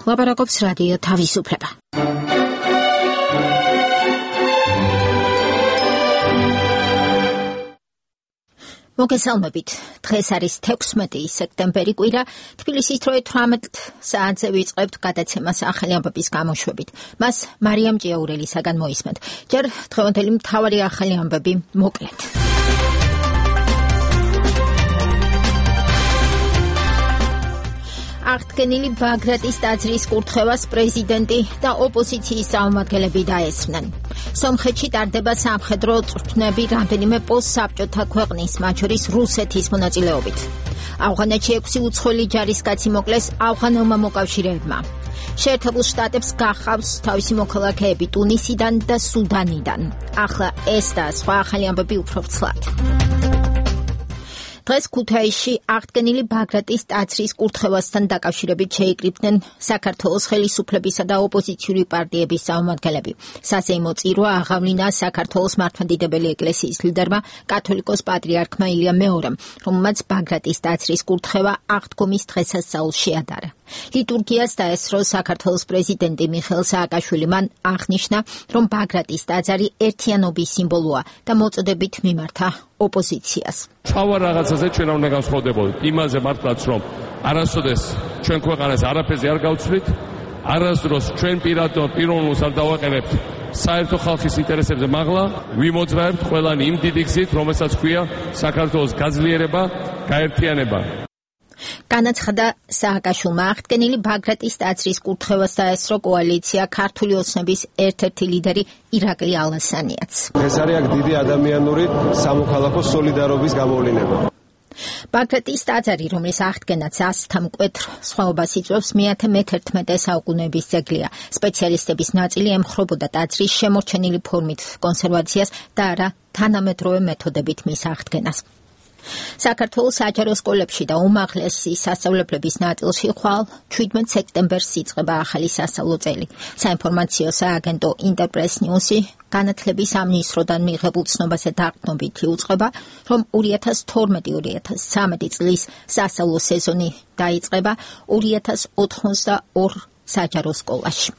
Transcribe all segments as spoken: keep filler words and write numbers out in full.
ლაპარაკობს რადიო თავისუფლება. მოგესალმებით. დღეს არის თექვსმეტი სექტემბერი კვირა. თბილისის დროით თვრამეტ საათზე ვიწყებთ გადაცემას ახალი ამბების გამოშვებით. მას მარიამ ჭიაურელისაგან მოისმენთ. ჯერ დღევანდელი მთავარი ახალი ამბები მოკლედ. აღდგენილი ბაგრატის ტაძრის კურთხევას პრეზიდენტი და ოპოზიციის წარმომადგენლები დაესწრნენ. სომხეთში ტარდება სამხედრო წვრთნები რამდენიმე პოსტსაბჭოთა ქვეყნის, მათ შორის რუსეთის მონაწილეობით. ავღანეთში ექვსი უცხოელი ჯარისკაცი მოკლეს ავღანელმა მოკავშირეებმა. შეერთებულ შტატებს გახავს თავისი მოქალაქეები ტუნისიდან და სუდანიდან. ახლა ეს და სხვა ახალი ამბები უფრო ვრცლად. დღეს ქუთაისში აღდგენილი ბაგრატის ტაძრის კურთხევასთან დაკავშირებით შეიკრიბნენ საქართველოს ხელისუფლებისა და ოპოზიციური პარტიების წარმომადგენლები. საზეიმო წირვა აღავლინა საქართველოს მართლმადიდებელი ეკლესიის ლიდერმა კათოლიკოს პატრიარქმა ილია მეორემ, რომელმაც ბაგრატის ტაძრის კურთხევა აღდგომის დღესასწაულს შეადარა. ლიტურგიას დაესწრო საქართველოს პრეზიდენტი მიხეილ სააკაშვილი. მან აღნიშნა, რომ ბაგრატის ტაძარი ერთიანობის სიმბოლოა და მოწოდებით მიმართა ოპოზიციას. თავარ რაღაცაზე ჩვენ უნდა განსხვავდებოდეთ იმაზე მართლაც, რომ არასოდეს ჩვენ ქვეყანას არაფერზე არ გავცვლით, არასდროს ჩვენ პირადად პიროვნულს არ დავაყენებთ საერთო ხალხის ინტერესებზე, მაღლა ვიმოძრაებთ ყველანი იმ დიდი გზით, რომელსაც ქვია საქართველოს გაძლიერება, გაერთიანება. განაცხადა სააკაშვილმა. აღდგენილი ბაგრატის ტაძრის კურთხევას დაესწრო კოალიცია ქართული ოცნების ერთ-ერთი ლიდერი ირაკლი ალასანიაც. ეს არის აქ დიდი ადამიანური სამოქალაქო სოლიდარობის გამოვლინება. ბაგრატის ტაძარი, რომლის აღდგენაც ასთა მკვეთრ სხვაობას იწვევს, მეათე მეთერთმეტე საუკუნეების ძეგლია. სპეციალისტების ნაწილი ემხრობოდა ტაძრის შემორჩენილი ფორმით კონსერვაციას და არა თანამედროვე მეთოდებით მის აღდგენას. საქართველოს საჯარო სკოლებში და უმაღლესი სასწავლებლების ნაწილში ხვალ შვიდმეტ სექტემბერს იწყება ახალი სასწავლო წელი. საინფორმაციო სააგენტო ინტერპრეს ნიუსი განათლების სამინისტროდან მიღებულ ცნობაზე დაყრდნობით იუწყება, რომ ორი ათას თორმეტი ორი ათას ცხრამეტი წლის სასწავლო სეზონი დაიწყება ორი ათას ოთხმოცდაორ საჯარო სკოლაში.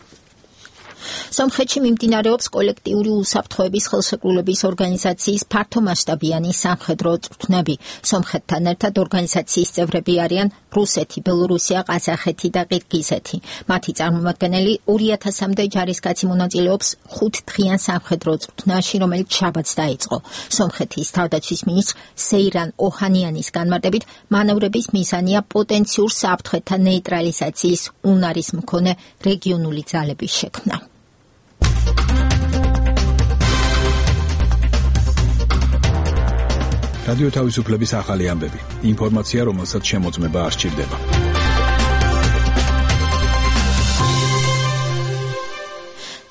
სომხეთში მიმდინარეობს კოლექტიური უსაფრთხოების ხელშეკრულების ორგანიზაციის ფართომასშტაბიანი სამხედრო წვრთნები. სომხეთთან ერთად ორგანიზაციის წევრები არიან რუსეთი, ბელორუსია, ყაზახეთი და ყირგიზეთი. მათი წარმომადგენელი ორი ათასამდე ჯარისკაცი მონაწილეობს ხუთდღიან სამხედრო წვრთნაში, რომელიც შაბათს დაიწყო. სომხეთის თავდაცვის მინისტრ სეირან ოჰანიანის განმარტებით, მანევრების მიზანია პოტენციურ საფრთხეთა ნეიტრალიზაციის უნარის მქონე რეგიონული ძალების შექმნა. რადიო თავისუფლების ახალი ამბები. ინფორმაცია, რომელსაც შემოწმება არ სჭირდება.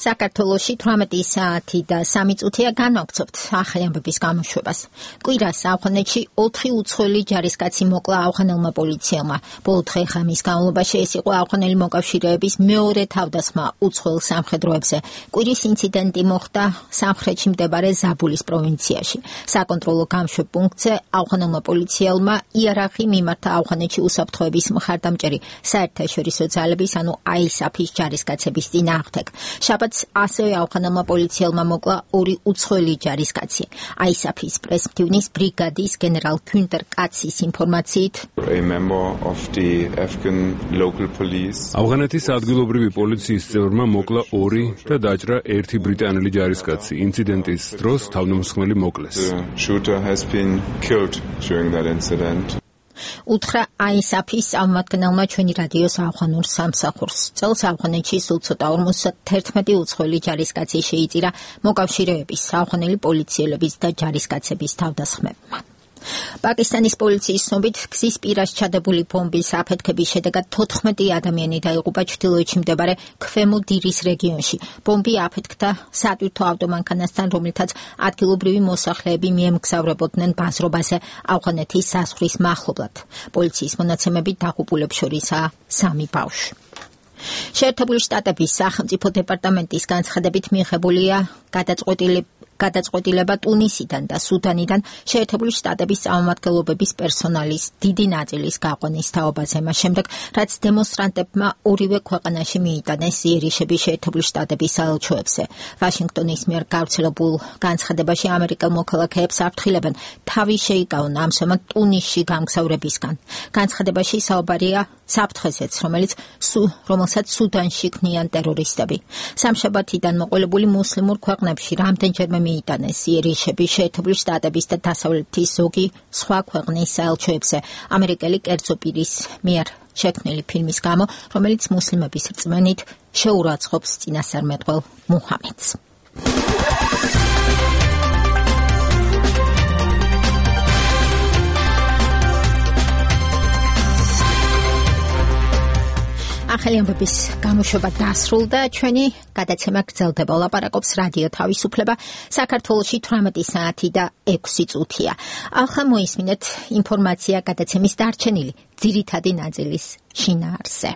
საქართველოში თვრამეტი საათი და სამი წუთია განვაგრძობთ ახალი ამბების გამოშვებას. კვირას ავღანეთში ოთხი უცხოელი ჯარისკაცი მოკლა ავღანელმა პოლიციელმა. ბოლო დღე-ღამის განმავლობაში ეს იყო ავღანელი მოკავშირეების მეორე თავდასხმა უცხოელ სამხედროებზე. კვირის ინციდენტი მოხდა სამხრეთში მდებარე ზაბულის პროვინციაში. საკონტროლო გამშვებ პუნქტზე ავღანელმა პოლიციელმა იარაღი მიმართა ავღანეთში უსაფრთხოების მხარდამჭერი საერთაშორისო ძალების, ანუ აისაფის ჯარისკაცების წინააღმდეგ. შაბათს ასევე ავღანელმა პოლიციელმა მოკლა ორი უცხოელი ჯარისკაცი. აისაფის პრესმდივნის ბრიგადის გენერალ ქუნტერ კაცის ინფორმაციით, ავღანეთის ადგილობრივი პოლიციის წევრმა მოკლა ორი და დაჭრა ერთი ბრიტანელი ჯარისკაცი. ინციდენტის დროს თავდამსხმელი მოკლეს. უთხრა აისაფის წარმომადგენელმა ჩვენი რადიოს ავღანურ სამსახურს. წელს ავღანეთში სულ ცოტა ორმოცდაერთმეტი უცხოელი ჯარისკაცი შეიწირა მოკავშირეების, ავღანელი პოლიციელების და ჯარისკაცების თავდასხმებმა. პაკისტანის პოლიციის ცნობით, გზის პირას ჩადებული ბომბის აფეთქების შედეგად თოთხმეტი ადამიანი დაიღუპა ჩრდილოეთში მდებარე ქვემო დირის რეგიონში. ბომბი აფეთქდა სატვირთო ავტომანქანასთან, რომლითაც ადგილობრივი მოსახლეები მიემგზავრებოდნენ ბაზრობაზე ავღანეთის საზღვრის მახლობლად. პოლიციის მონაცემებით დაღუპულებს შორისაა სამი ბავშვი. შეერთებული შტატების სახელმწიფო დეპარტამენტის განცხადებით მიღებულია გადაწყვეტილი გადაწყვეტილება ტუნისიდან და სუდანიდან შეერთებული შტატების წარმომადგენლობების პერსონალის დიდი ნაწილის გაყვანის თაობაზე, მას შემდეგ, რაც დემონსტრანტებმა ორივე ქვეყანაში მიიტანეს იერიშები შეერთებული შტატების საელჩოებზე. ვაშინგტონის მიერ გავრცელებულ განცხადებაში ამერიკელ მოქალაქეებს აფრთხილებენ თავი შეიკავონ ამჟამად ტუნისში გამგზავრებისგან. განცხადებაში საუბარია საფრთხეზეც, რომელიც რომელსაც სუდანში ქმნიან ტერორისტები. სამშაბათიდან მოყოლებული მუსლიმურ ქვეყნებში რამდენჯერმე მიიტანეს იერიშები შეერთებული შტატების და დასავლეთის ზოგი სხვა ქვეყნის საელჩოებზე ამერიკელი კერძო პირის მიერ შექმნილი ფილმის გამო, რომელიც მუსლიმების რწმენით შეურაცხყოფს წინასწარმეტყველ მუჰამედს. ახალი ამბების გამოშვება დასრულდა, ჩვენი გადაცემა გრძელდება. ლაპარაკობს რადიო თავისუფლება, საქართველოში თვრამეტი საათი და ექვსი წუთია. ახლა მოისმინეთ ინფორმაცია გადაცემის დარჩენილი ძირითადი ნაწილის შინაარსზე.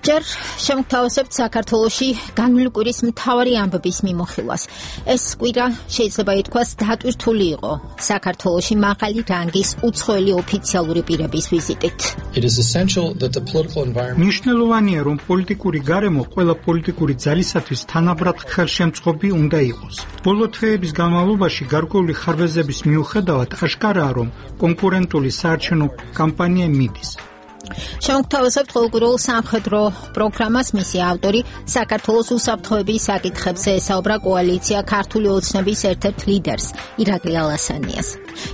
ჯერ შემოგთავაზებთ საქართველოში განვლილი კვირის მთავარი ამბების მიმოხილვას. ეს კვირა შეიძლება ითქვას დატვირთული იყო საქართველოში მაღალი რანგის უცხოელი ოფიციალური პირების ვიზიტით. მნიშვნელოვანია, რომ პოლიტიკური გარემო ყველა პოლიტიკური ძალისათვის თანაბრად ხელშემწყობი უნდა იყოს. ბოლო თვეების განმავლობაში გარკვეული ხარვეზების მიუხედავად აშკარაა, რომ კონკურენტული საარჩევნო კამპანია მიდის. შემოგთავაზებთ ყოველკვირეულ სამხედრო პროგრამას, მისი ავტორი საქართველოს უსაფრთხოების საკითხებზე ესაუბრა კოალიცია ქართული ოცნების ერთ-ერთ ლიდერს ირაკლი ალასანიას.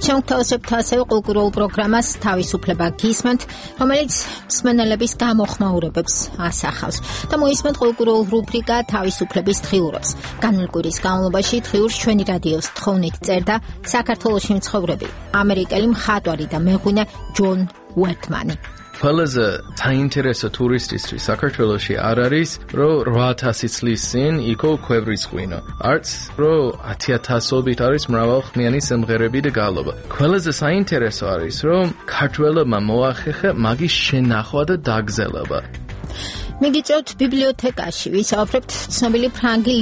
შემოგთავაზებთ ასევე ყოველკვირეულ პროგრამას თავისუფლება გისმენთ, რომელიც მსმენელების გამოხმაურებებს ასახავს და მოისმენთ ყოველკვირეულ რუბრიკა თავისუფლების დღიურობს. განვლილი კვირის განმავლობაში დღიურს ჩვენი რადიოს თხოვნით წერდა საქართველოში მცხოვრები ამერიკელი მხატვარი და მეღვინე ჯონ უერთმანი. ყველაზე საინტერესო ტურისტისთვის საქართველოში არ არის, რომ რვა ათასი წლის წინ იქო ქვევრის ღვინო. არც რომ ათი ათასობით არის მრავალხმიანი სიმღერები და გალობა. ყველაზე საინტერესო არის, რომ ქართველებმა მოახერხა მაგის შენახვა და დაგზელება. მიგიწევთ ბიბლიოთეკაში, ვისაუბრებთ ცნობილი ფრანგი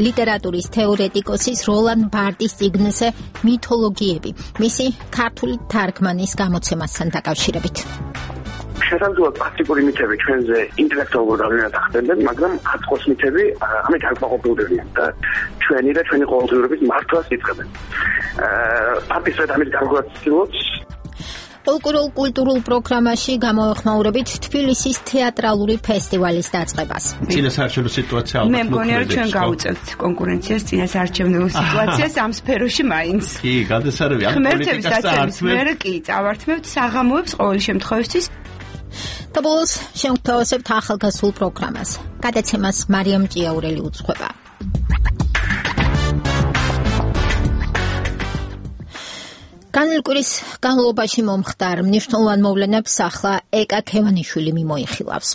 ლიტერატურის თეორეტიკოსის როლან ბარდის წიგნზე მითოლოგიები, მისი ქართული თარგმანის გამოცემასთან დაკავშირებით. შესაძლოა პრაქტიკული მითები ჩვენზე ინტელექტუალურ გავლენას ახდენდნენ, მაგრამ აწყვეტ მითები ამით არ ყოფილდებიან და ჩვენი და ჩვენი ყოველდღიურობის მართვას იწყებენ. პაპისრად ამით გამოვაცილოთ. კულტურულ კულტურულ პროგრამაში გამოეხმაურებით თბილისის თეატრალური ფესტივალის დაწყებას. წინასაარჩევნო სიტუაცია ალბათ. მე მგონია, რომ ჩვენ გავუწევთ კონკურენციას წინასაარჩევნო სიტუაციას ამ სფეროში მაინც. კი, გადასარევი ამ პოლიტიკას წარსმევთ. მე კი წავართმევთ საღამოებს ყოველი შემთხვევისთვის. და ბოლოს შემოგთავაზებთ ახალგაზრდულ პროგრამას. გადაცემას მარიამ ჭიაურელი უძღვება. განვლილი კვირის განმავლობაში მომხდარ მნიშვნელოვან მოვლენებს ახლა ეკა ქევანიშვილი მიმოიხილავს.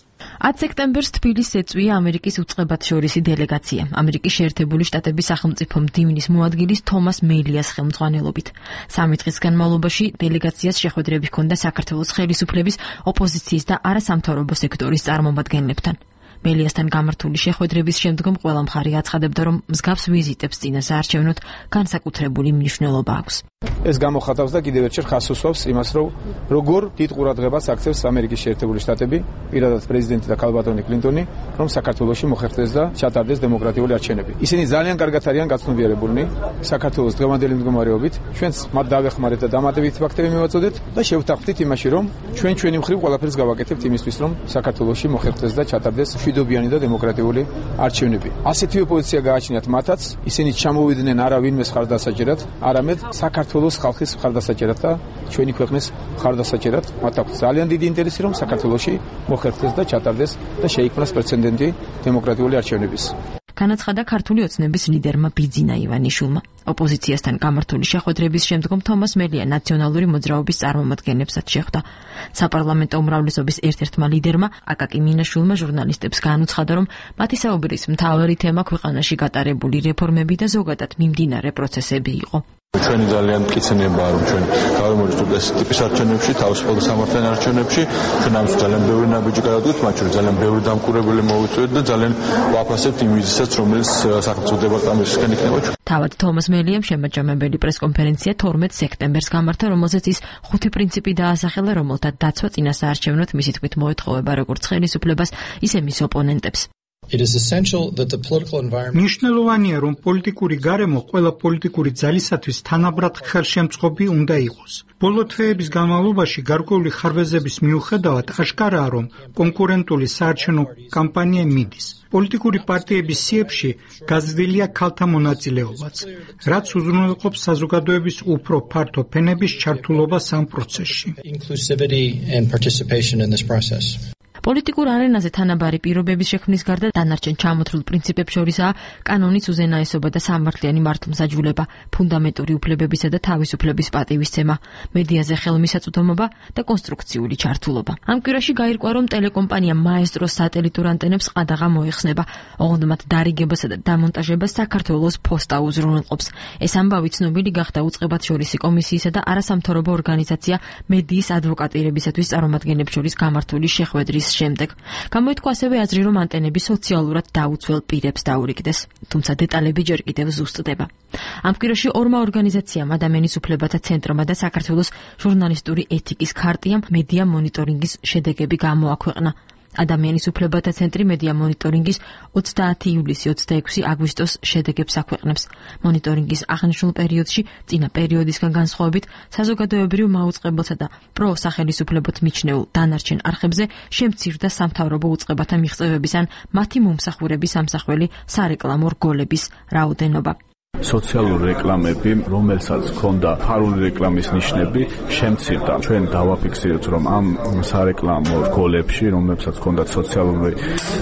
ათი სექტემბერს თბილისს ეწვია ამერიკის უწყებათშორისი დელეგაცია. ამერიკის შეერთებული შტატების სახელმწიფო მდივნის მოადგილის თომას მელიას ხელმძღვანელობით. სამი დღის განმავლობაში დელეგაციას შეხვედრები ჰქონდა საქართველოს ხელისუფლების, ოპოზიციის და არასამთავრობო სექტორის წარმომადგენლებთან. მელიასთან გამართული შეხვედრების შემდგომ ყველა მხარე აცხადებდა, რომ მსგავს ვიზიტებს წინასაარჩევნოდ განსაკუთრებული მნიშვნელობა აქვს. ეს გამოხატავს და კიდევ ერთხელ ხაზს უსვამს იმას, რომ როგორ დიდ ყურადღებას აქცევს ამერიკის შეერთებული შტატები, პირადად პრეზიდენტი და ქალბატონი კლინტონი, რომ საქართველოში მოხერხდეს და ჩატარდეს დემოკრატიული არჩევნები. ისინი ძალიან კარგად არიან გაცნობიერებულნი საქართველოს დღევანდელი მდგომარეობით. ჩვენც მათ დავეხმარეთ და დამატებით ფაქტები მივაწოდეთ და შევთანხმდით იმაში, რომ ჩვენ ჩვენი მხრივ ყველაფერს გავაკეთებთ იმისთვის, რომ საქართველოში მოხერხდეს და ჩატარდეს მშვიდობიანი და დემოკრატიული არჩევნები. ასეთი ოპოზიცია გააჩნიათ მათაც, ისინი ჩამოვიდნენ არა ვინმეს ხარდასაჭერად, არამედ საქართველოს ხალხის ხარდასაჭერად და ჩვენი ქვეყნის ხარდასაჭერად. მათ აქვს ძალიან დიდი ინტერესი, რომ საქართველოში მოხერხდეს და ჩატარდეს და შეიქმნას პრეცედენტი დემოკრატიული არჩევნების. განაცხადა ქართული ოცნების ლიდერმა ბიძინა ივანიშვილმა. ოპოზიციასთან გამართული შეხვედრების შემდგომ თომას მელია ნაციონალური მოძრაობის წარმომადგენლებსაც შეხვდა. საპარლამენტო უმრავლესობის ერთ-ერთმა ლიდერმა აკაკი მინაშვილმა ჟურნალისტებს განუცხადა, რომ მათი საუბრის მთავარი თემა ქვეყანაში გატარებული რეფორმები და ზოგადად მიმდინარე პროცესები იყო. ჩვენი ძალიან მტკიცებაა რომ ჩვენ გავიმოწმოთ ეს ტიპის არჩევნებში, თავისუფალ სამართლიან არჩევნებში, ჩვენ ამის ძალიან ბევრი ნაბიჯი გადავდგეთ, მათ შორის ძალიან ბევრი დამკვირვებელი მოვიწვევთ და ძალიან ვაფასებთ იმ ვიზისაც, რომელიც სახელმწიფო დეპარტამენტისგან იქნება. თავად თომას მელიამ შემაჯამებელი პრესკონფერენცია თორმეტ სექტემბერს გამართა, რომელზეც ის ხუთი პრინციპი დაასახელა, რომელთა დაცვა წინასაარჩევნოდ მისი თქმით მოეთხოვება როგორც ხელისუფლებას, ისე მის ოპონენტებს. მნიშვნელოვანია, რომ პოლიტიკური გარემო ყველა პოლიტიკური ძალისათვის თანაბრად ხელშემწყობი უნდა იყოს. ბოლო თვეების განმავლობაში გარკვეული ხარვეზების მიუხედავად აშკარაა, რომ კონკურენტული საარჩევნო კამპანია მიდის. პოლიტიკური პარტიების სიებში გაზრდილია ქალთა მონაწილეობაც, რაც უზრუნველყოფს საზოგადოების უფრო ფართო ფენების ჩართულობას ამ პროცესში. პოლიტიკურ არენაზე თანაბარი პირობების შექმნის გარდა დანარჩენ ჩამოთვლილ პრინციპებს შორისაა კანონის უზენაესობა და სამართლიანი მართლმსაჯულება, ფუნდამენტური უფლებებისა და თავისუფლების პატივისცემა, მედიაზე ხელმისაწვდომობა და კონსტრუქციული ჩართულობა. ამ კვირაში გაირკვა, რომ ტელეკომპანია მაესტროს სატელიტურ ანტენებს ყადაღა მოეხსნება, ოღონდ მათ დარიგებასა და დამონტაჟებას საქართველოს ფოსტა უზრუნველყოფს. ეს ამბავი ცნობილი გახდა უწყებათშორისი კომისიისა და არასამთავრობო ორგანიზაცია მედიის ადვოკატირებისათვის წარმომადგენლებს შორის გამართული შეხვედრის შემდეგ. გამოითქვა ასევე აზრი, რომ ანტენები სოციალურად დაუცველ პირებს დაურიგდეს, თუმცა დეტალები ჯერ კიდევ ზუსტდება. ამ კვირაში ორმა ორგანიზაციამ, ადამიანის უფლებათა ცენტრმა და საქართველოს ჟურნალისტური ეთიკის ქარტიამ მედია მონიტორინგის შედეგები გამოაქვეყნა. ადამიანის უფლებათა ცენტრი მედია მონიტორინგის ოცდაათი ივლისი ოცდაექვსი აგვისტოს შედეგებს აქვეყნებს. მონიტორინგის აღნიშნულ პერიოდში, წინა პერიოდისგან განსხვავებით, საზოგადოებრივ მაუწყებელსა და პროსახელისუფლებოთ მიჩნეულ დანარჩენ არხებზე შემცირდა სამთავრობო უწყებათა მიღწევების ან მათი მომსახურების ამსახველი სარეკლამო რგოლების რაოდენობა. სოციალური რეკლამები, რომელსაც ჰქონდა ფარული რეკლამის ნიშნები, შემცირდა. ჩვენ დავაფიქსირეთ, რომ ამ სარეკლამო რგოლებში, რომელსაც ჰქონდა სოციალური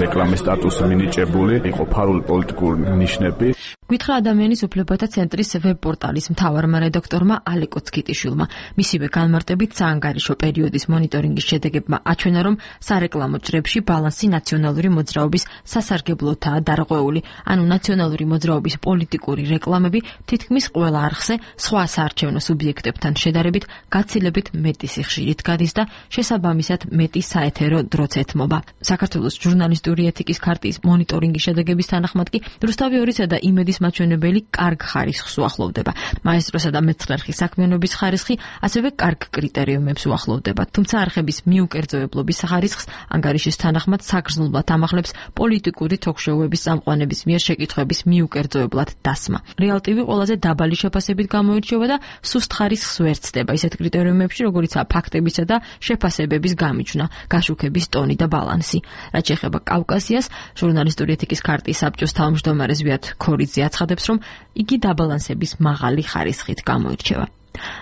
რეკლამის სტატუსი მინიჭებული, იყო ფარული პოლიტიკური ნიშნები. გითხრა ადამიანის უფლებათა ცენტრის ვებ-პორტალის მთავარმა რედაქტორმა ალეკო ცკიტიშვილმა. მისივე განმარტებით საანგარიშო პერიოდის მონიტორინგის შედეგებმა აჩვენა, რომ სარეკლამო ჯრებში ბალანსი ნაციონალური მოძრაობის სასარგებლოთაა დარღვეული, ანუ ნაციონალური მოძრაობის პოლიტიკური რეკლამები თითქმის ყველა არხზე სხვა საარჩევნო სუბიექტებთან შედარებით გაცილებით მეტი სიხშირით გადის და შესაბამისად მეტი საეთერო დროც ეთმობა. საქართველოს ჟურნალისტური ეთიკის ქარტიის მონიტორინგის შედეგების თანახმად კი რუსთავი ორისა და იმედის მაჩვენებელი კარგ ხარისხს უახლოვდება. მაესტროსა და მეცხრე საქმიანობის ხარისხი ასევე კარგ კრიტერიუმებს უახლოვდება, თუმცა არხების მიუკერძოებლობის ხარისხს ანგარიშის თანახმად საგრძნობლად ამახლებს პოლიტიკური თოქ-შოუების წამყვანების მიერ შეკითხვების მიუკერძოებლად დასმა. რეალტივი ყველაზე დაბალი შეფასებით გამოირჩევა და სუსტ ხარისხს ვერ ცდება ისეთ კრიტერიუმებში, როგორიცაა ფაქტებისა და შეფასებების გამიჯვნა, გაშუქების ტონი და ბალანსი. რაც შეეხება კავკასიას, ჟურნალისტური ეთიკის ქარტიის საბჭოს თავმჯდომარე ზვიად ქორიძე აცხადებს, რომ იგი დაბალანსების მაღალი ხარისხით გამოირჩევა.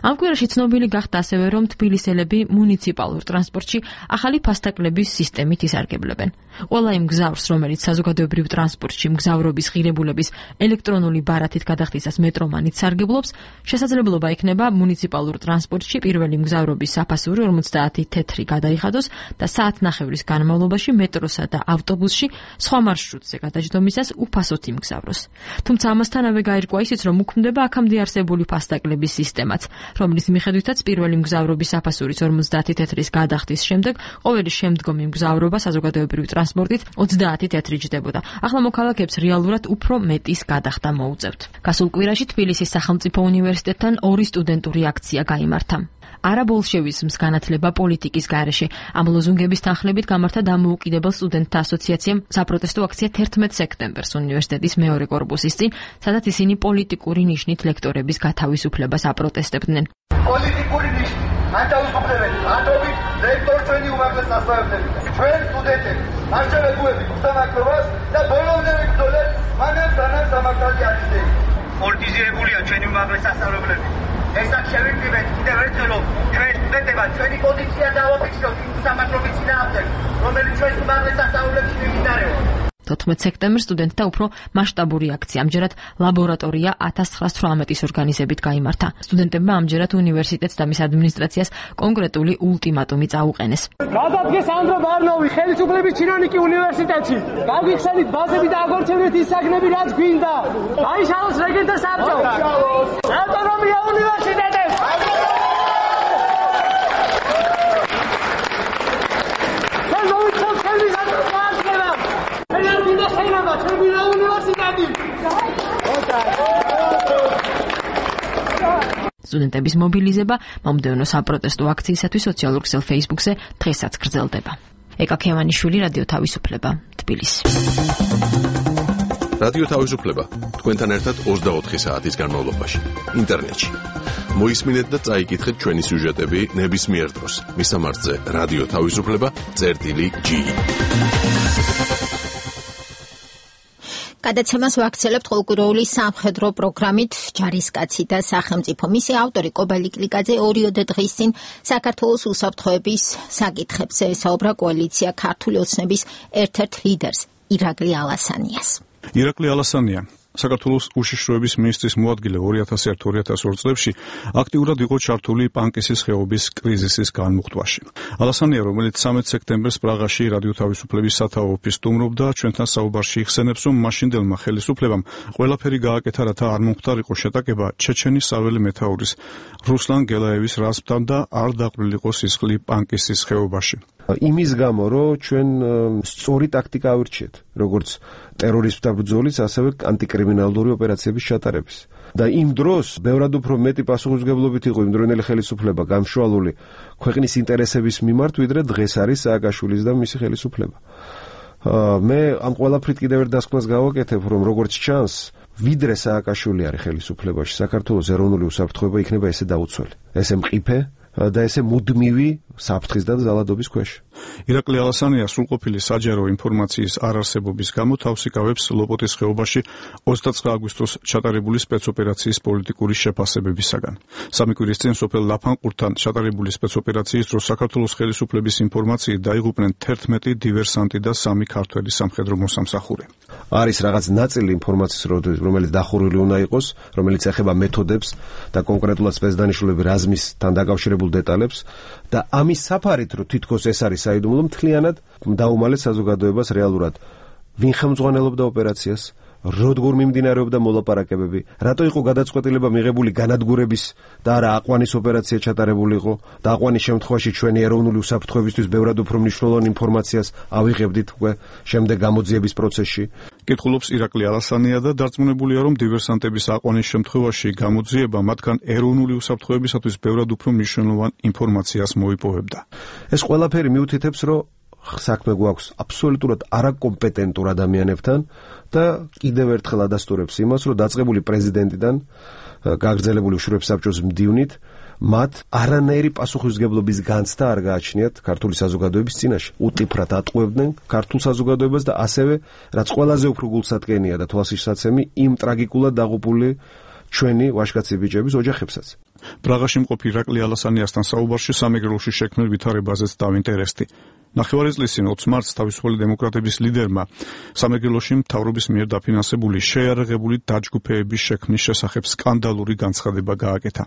ამ კვირაში ცნობილი გახდა ასევე, რომ თბილისელები მუნიციპალურ ტრანსპორტში ახალი ფასტაკლების სისტემით ისარგებლებენ. ყველა იმ მგზავრს, რომელიც საზოგადოებრივ ტრანსპორტში მგზავრობის ღირებულების ელექტრონული ბარათით გადახდისას მეტრომანით სარგებლობს, შესაძლებლობა იქნება მუნიციპალურ ტრანსპორტში პირველი მგზავრობის საფასური ორმოცდაათი თეთრი გადაიხადოს და საათნახევრის განმავლობაში მეტროსა და ავტობუსში სხვა მარშრუტზე გადაჯდომისას უფასოდ იმგზავროს. თუმცა ამასთანავე გაირკვა ისიც, რომ უქმდება აქამდე არსებული ფასტაკლების სისტემაც, რომლის მიხედვითაც პირველი მგზავრობის საფასურის ორმოცდაათი თეთრის გადახდის შემდეგ ყოველი შემდგომი მგზავრობა საზოგადოებრივი ტრანსპორტით ოცდაათი თეთრი ჯდებოდა. ახლა მოქალაქეებს რეალურად უფრო მეტის გადახდა მოუწევთ. გასულ კვირაში თბილისის სახელმწიფო უნივერსიტეტთან ორი სტუდენტური აქცია გაიმართა. არაბოლშევიზმს განათლება პოლიტიკის გარეშე. ამ ლოზუნგების თანხლებით გამართა დამოუკიდებელ სტუდენტთა ასოციაციამ საპროტესტო აქცია თერთმეტ სექტემბერს უნივერსიტეტის მეორე კორპუსის წინ, სადაც ისინი პოლიტიკური ნიშნით ლექტორების გათავისუფლებას აპროტესტებდნენ. პოლიტიკური ნიშნით ანთავისუფლებელი ანდობით ლექტორ ჩვენი უმაღლეს მასწავლებლები, ჩვენ სტუდენტები, არჩევებუები უსამართლობას და ბოლომდე ვიბრძოლეთ მანამ სანამ სამართალი აღიძრება. პოლიტიზირებულია ჩვენი უმაღლეს მასწავლებლები. ესაც შევიმკვიდრეთ კიდევ ერთხელ, რომ ჩვენ სტუდენტებად ჩვენი პოზიცია დავაფიქსიროთ იმ სამართლობის წინააღმდეგ, რომელიც ჩვენს უმაღლეს სასწავლებლებში მიმდინარეობს. თოთხმეტ სექტემბერს სტუდენტთა უფრო მასშტაბური აქცია, ამჯერად ლაბორატორია ათას ცხრაას თვრამეტის ორგანიზებით გაიმართა. სტუდენტებმა ამჯერად უნივერსიტეტს და მის ადმინისტრაციას კონკრეტული ულტიმატუმი წაუყენეს. გადადგეს ანდრო ბარნოვი ხელისუფლების ჩინონიკი უნივერსიტეტში. გაგიხსენით ბაზები და აგორჩევნეთ ის საგნები, რაც გვინდა. აიშალოს რეგენტთა საბჭო. ავტონომია უნივერსიტეტებს. სტუდენტების მობილიზება მომდევნო საპროტესტო აქციისათვის სოციალურ ქსელ Facebook-ზე დღესაც გრძელდება. ეკა ქევანიშვილი, რადიო თავისუფლება, თბილისი. რადიო თავისუფლება თქვენთან ერთად ოცდაოთხი საათის განმავლობაში ინტერნეტში. მოისმინეთ და წაიკითხეთ ჩვენი სიუჟეტები ნებისმიერ დროს. მისამართზე რადიო თავისუფლება წერტილი ჯი. გადაცემას ვაქცელებთ ყოველკვირეული სამხედრო პროგრამით ჯარისკაცი და სახელმწიფო. მისი ავტორი კობალი კლიკაძე ორიოდე დღის წინ საქართველოს უსაფრთხოების საკითხებზე ესაუბრა კოალიცია ქართული ოცნების ერთ-ერთ ლიდერს ირაკლი ალასანიას. ირაკლი ალასანია საქართველოს უშიშროების მინისტრის მოადგილე ორი ათას ერთ ორი ათას ორ წლებში აქტიურად იყო ჩართული პანკისის ხეობის კრიზისის განმუხტვაში. ალასანია, რომელიც სამეც სექტემბერს პრაღაში რადიო თავისუფლების სათაო ოფისს სტუმრობდა, ჩვენთან საუბარში იხსენებს, რომ მაშინდელმა ხელისუფლებამ ყველაფერი გააკეთა, რათა არ მომხდარიყო შეტაკება ჩეჩენის საველე მეთაურის რუსლან გელაევის რაზმთან და არ დაყრილიყო სისხლი პანკისის ხეობაში. იმის გამო, რომ ჩვენ სწორი ტაქტიკა ავირჩიეთ, როგორც ტერორიზმთა ბრძოლის, ასევე ანტიკრიმინალური ოპერაციების ჩატარების. და იმ დროს ბევრად უფრო მეტი პასუხისმგებლობით იყო იმდროინელი ხელისუფლება გამშვალული ქვეყნის ინტერესების მიმართ, ვიდრე დღეს არის სააკაშვილის და მისი ხელისუფლება. მე ამ ყველაფრით კიდევ ერთ დასკვნას გავაკეთებ, რომ როგორც ჩანს, ვიდრე სააკაშვილი არის ხელისუფლებაში, საქართველოს ეროვნული უსაფრთხოება იქნება ესე დაუცველი, ესე მყიფე და ესე მუდმივი საფრთხის და ზალადობის ქვეშ. ირაკლი ალასანია სრულყოფილი საჯარო ინფორმაციის არარსებობის გამო თავს იკავებს ლოპოტის ხეობაში ოცდაცხრა აგვისტოს ჩატარებული სპეცოპერაციის პოლიტიკური შეფასებებისაგან. სამი კვირის წინ სოფელ ლაფანყურთან ჩატარებული სპეცოპერაციის დროს საქართველოს ხელისუფლების ინფორმაციით დაიღუპნენ თერთმეტი დივერსანტი და სამი ქართველი სამხედრო მოსამსახური. არის რაღაც ნაწილი ინფორმაციის, რომელიც დახურული უნდა იყოს, რომელიც ეხება მეთოდებს და კონკრეტულად სპეცდანიშნულების რაზმისთან დაკავშირებულ დეტალებს და ამის საფარით, რომ თითქოს ეს არის საიდუმლო, მთლიანად დაუმალეს საზოგადოებას რეალურად ვინ ხელმძღვანელობდა ოპერაციას, როგორ მიმდინარეობდა მოლაპარაკებები, რატო იყო გადაწყვეტილება მიღებული განადგურების და არა აყვანის ოპერაცია ჩატარებული იყო და აყვანის შემთხვევაში ჩვენი ეროვნული უსაფრთხოებისთვის ბევრად უფრო მნიშვნელოვან ინფორმაციას ავიღებდით უკვე შემდეგ გამოძიების პროცესში. კითხულობს ირაკლი ალასანია და დარწმუნებულია, რომ დივერსანტების აყვანის შემთხვევაში გამოძიება მათგან ეროვნული უსაფრთხოებისათვის ბევრად უფრო მნიშვნელოვან ინფორმაციას მოიპოვებდა. ეს ყველაფერი მიუთითებს, რომ საქმე გვაქვს აბსოლუტურად არაკომპეტენტურ ადამიანებთან და კიდევ ერთხელ ადასტურებს იმას, რომ დაწყებული პრეზიდენტიდან გაგრძელებული უშუალო საბჭოს მდივნით მათ არანაირი პასუხისმგებლობის განცდა არ გააჩნიათ ქართული საზოგადოების წინაშე. უტიფრად ატყუებდნენ ქართულ საზოგადოებას და ასევე, რაც ყველაზე უფრო გულსატკენია და თვალსაჩინო, იმ ტრაგიკულად დაღუპული ჩვენი ვაჟკაცი ბიჭების ოჯახებსაც. პრაღაში მყოფი ირაკლი ალასანიასთან საუბარში სამეგრელოში შექმნილ ვითარებაზეც დავინტერესდი. ნახევარი წლის წინ ოცი მარტს თავისუფალი დემოკრატების ლიდერმა სამეგრელოში მთავრობის მიერ დაფინანსებული შეიარაღებული დაჯგუფების შექმნის შესახებ სკანდალური განცხადება გააკეთა.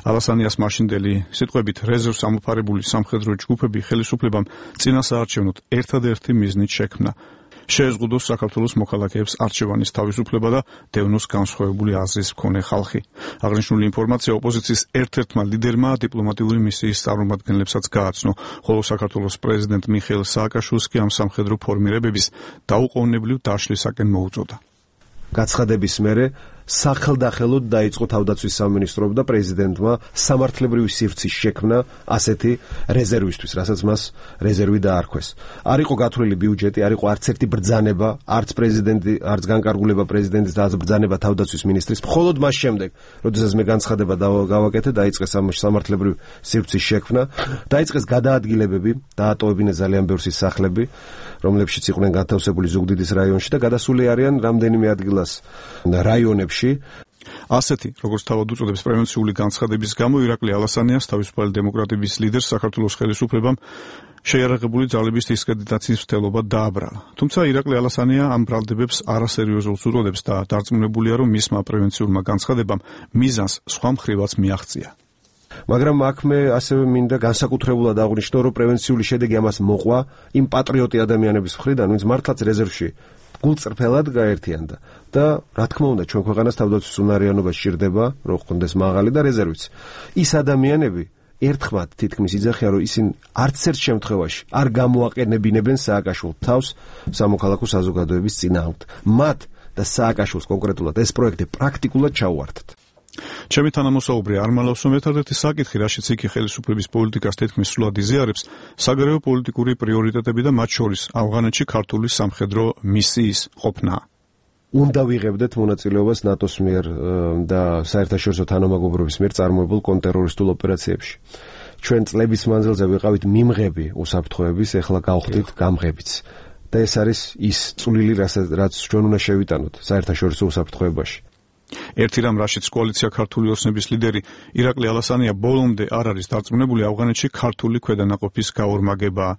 ალასანიას მაშინდელი სიტყვებით რეზერვს ამოფარებული სამხედრო ჯგუფები ხელისუფლებამ წინასაარჩევნოდ ერთადერთი მიზნით შექმნა შეეზღუდოს საქართველოს მოქალაქეებს არჩევანის თავისუფლება და დევნოს განსხვავებული აზრის მქონე ხალხი. აღნიშნული ინფორმაცია ოპოზიციის ერთ-ერთმა ლიდერმა დიპლომატიური მისიის წარმომადგენლებსაც გააცნო, ხოლო საქართველოს პრეზიდენტ მიხეილ სააკაშვილს კი ამ სამხედრო ფორმირებების დაუყოვნებლივ დაშლისაკენ მოუწოდა. გაცხადების მერე სახელდახელოდ დაიწყო თავდაცვის სამინისტრომ და პრეზიდენტმა სამართლებრივი სივრცის შექმნა ასეთი რეზერვისთვის, რასაც მას რეზერვი დაარქვეს. არ იყო გათვლილი ბიუჯეტი, არ იყო არც ერთი ბრძანება, არც პრეზიდენტი, არც განკარგულება პრეზიდენტის და არც ბრძანება თავდაცვის მინისტრის. მხოლოდ მას შემდეგ, როდესაც მე განცხადება გავაკეთე, დაიწყეს ამ სამართლებრივი სივრცის შექმნა, დაიწყეს გადაადგილებები, დაატოვებინეს ძალიან ბევრი სახლები, რომლებშიც იყვნენ გათავსებული ზუგდიდის რაიონში და გადასული არიან რამდენიმე ადგილას რაიონებში. ასეთი, როგორც თავად უწოდებს პრევენციული განცხადების გამო ირაკლი ალასანიას თავისუფალი დემოკრატების ლიდერს საქართველოს ხელისუფლებამ შეიარაღებული ძალების დისკრედიტაციის მცდელობა დააბრალა. თუმცა ირაკლი ალასანია ამ ბრალდებებს არასერიოზულს უწოდებს და დარწმუნებულია, რომ მისმა პრევენციულმა განცხადებამ მიზანს სხვა მხრივაც მიაღწია. მაგრამ აქ მე ასევე მინდა განსაკუთრებულად აღვნიშნო, რომ პრევენციული შედეგი ამას მოყვა იმ პატრიოტი ადამიანების მხრიდან, ვინც მართლაც რეზერვში გულწრფელად გაერთიანდა და რა თქმა უნდა ჩვენ ქვეყანას თავდაცვის უნარიანობა სჭირდება, რომ ხონდეს მაღალი და რეზერვიც. ის ადამიანები ერთხმად თითქმის იძახიან, რომ ისინი არც ერთ შემთხვევაში არ გამოაყენებინებენ სააკაშვილ თავს სამოქალაქო საზოგადოების წინააღმდეგ. მათ და სააკაშვილს კონკრეტულად ეს პროექტი პრაქტიკულად ჩაუვართათ. ჩემი თანამოსაუბრე არ მალავს, რომ ერთ-ერთი საკითხი, რაშიც იქ ხელისუფლების პოლიტიკას თითქმის სრულად იზიარებს, საგარეო პოლიტიკური პრიორიტეტები და მათ შორის ავღანეთში ქართული სამხედრო მისიის ყოფნა. უნდა ვიღებდეთ მონაწილეობას ნატოს მიერ და საერთაშორისო თანამეგობრობის მიერ წარმოებულ კონტრტერორისტულ ოპერაციებში. ჩვენ წლების მანძილზე ვიყავით მიმღები უსაფრთხოების, ეხლა გავხდით გამღებიც. და ეს არის ის წვლილი, რაც ჩვენ უნდა შევიტანოთ საერთაშორისო უსაფრთხოებაში. ერთი რამ, რაშიც კოალიცია ქართული ოცნების ლიდერი ირაკლი ალასანია ბოლომდე არ არის დარწმუნებული, ავღანეთში ქართული ქვედანაყოფის გაორმაგებაა.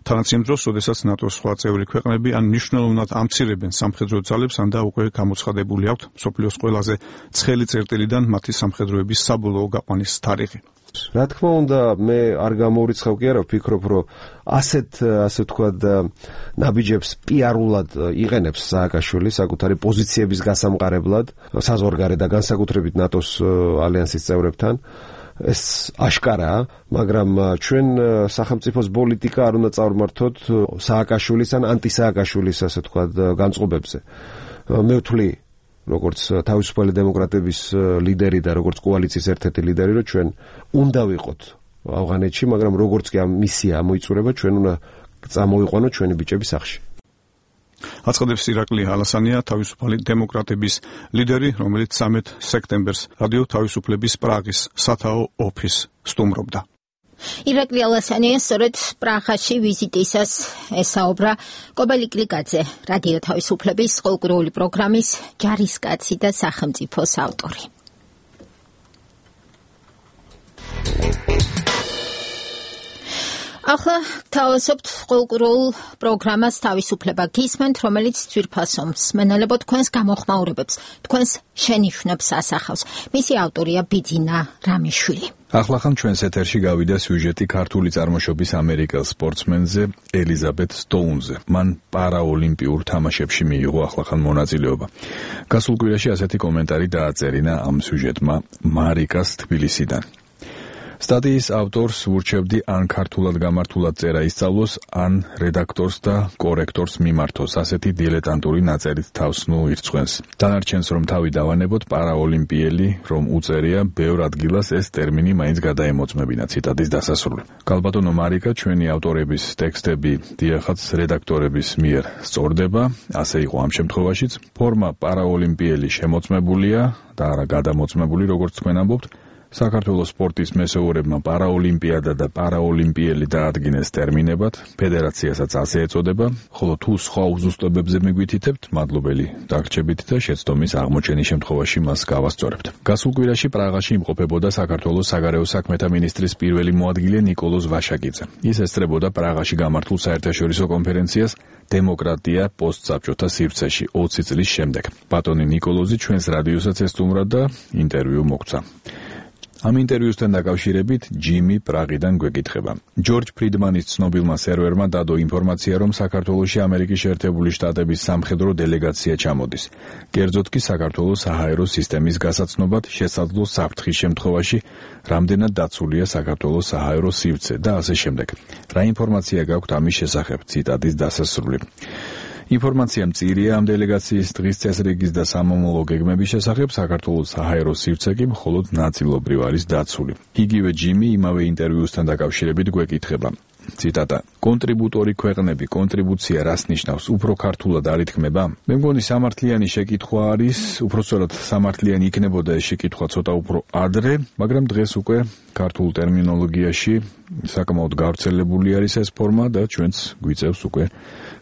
თანაც იმ დროს, როდესაც ნატოს სხვა წევრი ქვეყნები ან მნიშვნელოვნად ამცირებენ სამხედრო ძალებს, ან და უკვე გამოცხადებული აქვთ მსოფლიოს ყველაზე ცხელი წერტილიდან მათი სამხედროების საბოლოო გაყვანის თარიღი. რა თქმა უნდა, მე არ გამორიცხავ კი არა, ვფიქრობ, რომ ასეთ, ასე ვთქვათ, ნაბიჯებს პიარულად იყენებს სააკაშვილი საკუთარი პოზიციების გასამყარებლად, საზღვარგარეთ და განსაკუთრებით ნატოს ალიანსის წევრებთან. ეს აშკარაა, მაგრამ ჩვენ სახელმწიფოს პოლიტიკა არ უნდა წავმართოთ სააკაშვილის ან ანტისააკაშვილის, ასე ვთქვათ, განწყობებზე. მე ვთვლი როგორც თავისუფალი დემოკრატების ლიდერი და როგორც კოალიციის ერთ-ერთი ლიდერი, რომ ჩვენ უნდა ვიყოთ ავღანეთში, მაგრამ როგორც კი ამ მისია მოიწურება, ჩვენ უნდა წამოვიყვანოთ ჩვენი ბიჭები სახლში. აცხადებს ირაკლი ალასანია, თავისუფალი დემოკრატების ლიდერი, რომელიც სამედ სექტემბერს რადიო თავისუფლების პრაღის სათაო ოფისს სტუმრობდა. ირაკლი ალასანია სწორედ პრაღაში ვიზიტისას ესაუბრა კობელი კლიკაძე, რადიო თავისუფლების ყოველკვირეული პროგრამის ჯარისკაცი და სახელმწიფოს ავტორი. ახლა თავისუფლად ყოველკვირეულ პროგრამას თავისუფლება გისმენთ, რომელიც ძვირფასო მსმენელებო თქვენს გამოხმაურებებს, თქვენს შენიშვნებს ასახავს. მისი ავტორია ბიძინა რამიშვილი. ახლახან ჩვენს ეთერში გავიდა სიუჟეტი ქართული წარმოშობის ამერიკელ სპორტსმენზე ელიზაბეთ სტოუნზე. მან პარაოლიმპიურ თამაშებში მიიღო ახლახან მონაწილეობა. გასულ კვირაში ასეთი კომენტარი დააწერინა ამ სიუჟეტმა მარიკას თბილისიდან. სტატიის ავტორს ურჩევდი ან ქართულად გამართულად წერა ისწავლოს, ან რედაქტორს და კორექტორს მიმართოს. ასეთი დილეტანტური ნაწერით თავს ნუ ირწყვენს. დანარჩენს რომ თავი დავანებოთ, პარაოლიმპიელი რომ უწერია, ბევრ ადგილას ეს ტერმინი მაინც გადაემოწმებინა. ციტატის დასასრული. გალბატონო მარიკა, ჩვენი ავტორების ტექსტები დიახაც რედაქტორების მიერ სწორდება, ასე იყო ამ შემთხვევაშიც. ფორმა პარაოლიმპიელი შემოწმებულია და არა გადამოწმებული, როგორც თქვენ ამბობთ. საქართველოს სპორტის მესეურებმა პარაოლიმპიადა და პარაოლიმპიელი დაადგინეს ტერმინებად, ფედერაციასაც ასე ეწოდება, ხოლო თუ სხვა უზუსტებებზე მიგვითითებთ, მადლობელი დაგრჩებით და შეცდომის აღმოჩენის შემთხვევაში მას გავასწორებთ. გასულ კვირაში პრაღაში იმყოფებოდა საქართველოს საგარეო საქმეთა მინისტრის პირველი მოადგილე ნიკოლოზ ვაშაკიძე. ის ესწრებოდა პრაღაში გამართულ საერთაშორისო კონფერენციას დემოკრატია პოსტსაბჭოთა სივრცეში ოცი წლის შემდეგ. ბატონი ნიკოლოზი ჩვენს რადიოსაც ესტუმრა და ინტერვიუ მოგცა. ამ ინტერვიუსთან დაკავშირებით ჯიმი პრაღიდან გვეკითხება. ჯორჯ ფრიდმანის ცნობილმა სერვერმა დადო ინფორმაცია, რომ საქართველოში ამერიკის შეერთებული შტატების სამხედრო დელეგაცია ჩამოდის. კერძოდ კი საქართველოს საჰაერო სისტემის გასაცნობად შესაძლო საფრთხის შემთხვევაში, რამდენად დაცულია საქართველოს საჰაერო სივრცე და ასე შემდეგ. რა ინფორმაცია გაქვთ ამის შესახებ? ციტატის დასასრული. ინფორმაცია მწირია ამ დელეგაციის დღის წესრიგის და სამომავლო გეგმების შესახებ. საქართველოს საჰაერო სივრცე კი მხოლოდ ნაწილობრივ არის დაცული. იგივე ჯიმი იმავე ინტერვიუსთან დაკავშირებით გვეკითხება. ციტატა: კონტრიბუტორი ქვეყნები, კონტრიბუცია რას ნიშნავს? უფრო ქართულად არ ითქმება? მე მგონი სამართლიანი შეკითხვა არის, უпростоრად სამართლიანი იქნებოდა ეს შეკითხვა ცოტა უფრო ადრე, მაგრამ დღეს უკვე ქართულ ტერმინოლოგიაში საკმაოდ გავრცელებული არის ეს ფორმა და ჩვენც გვიწევს უკვე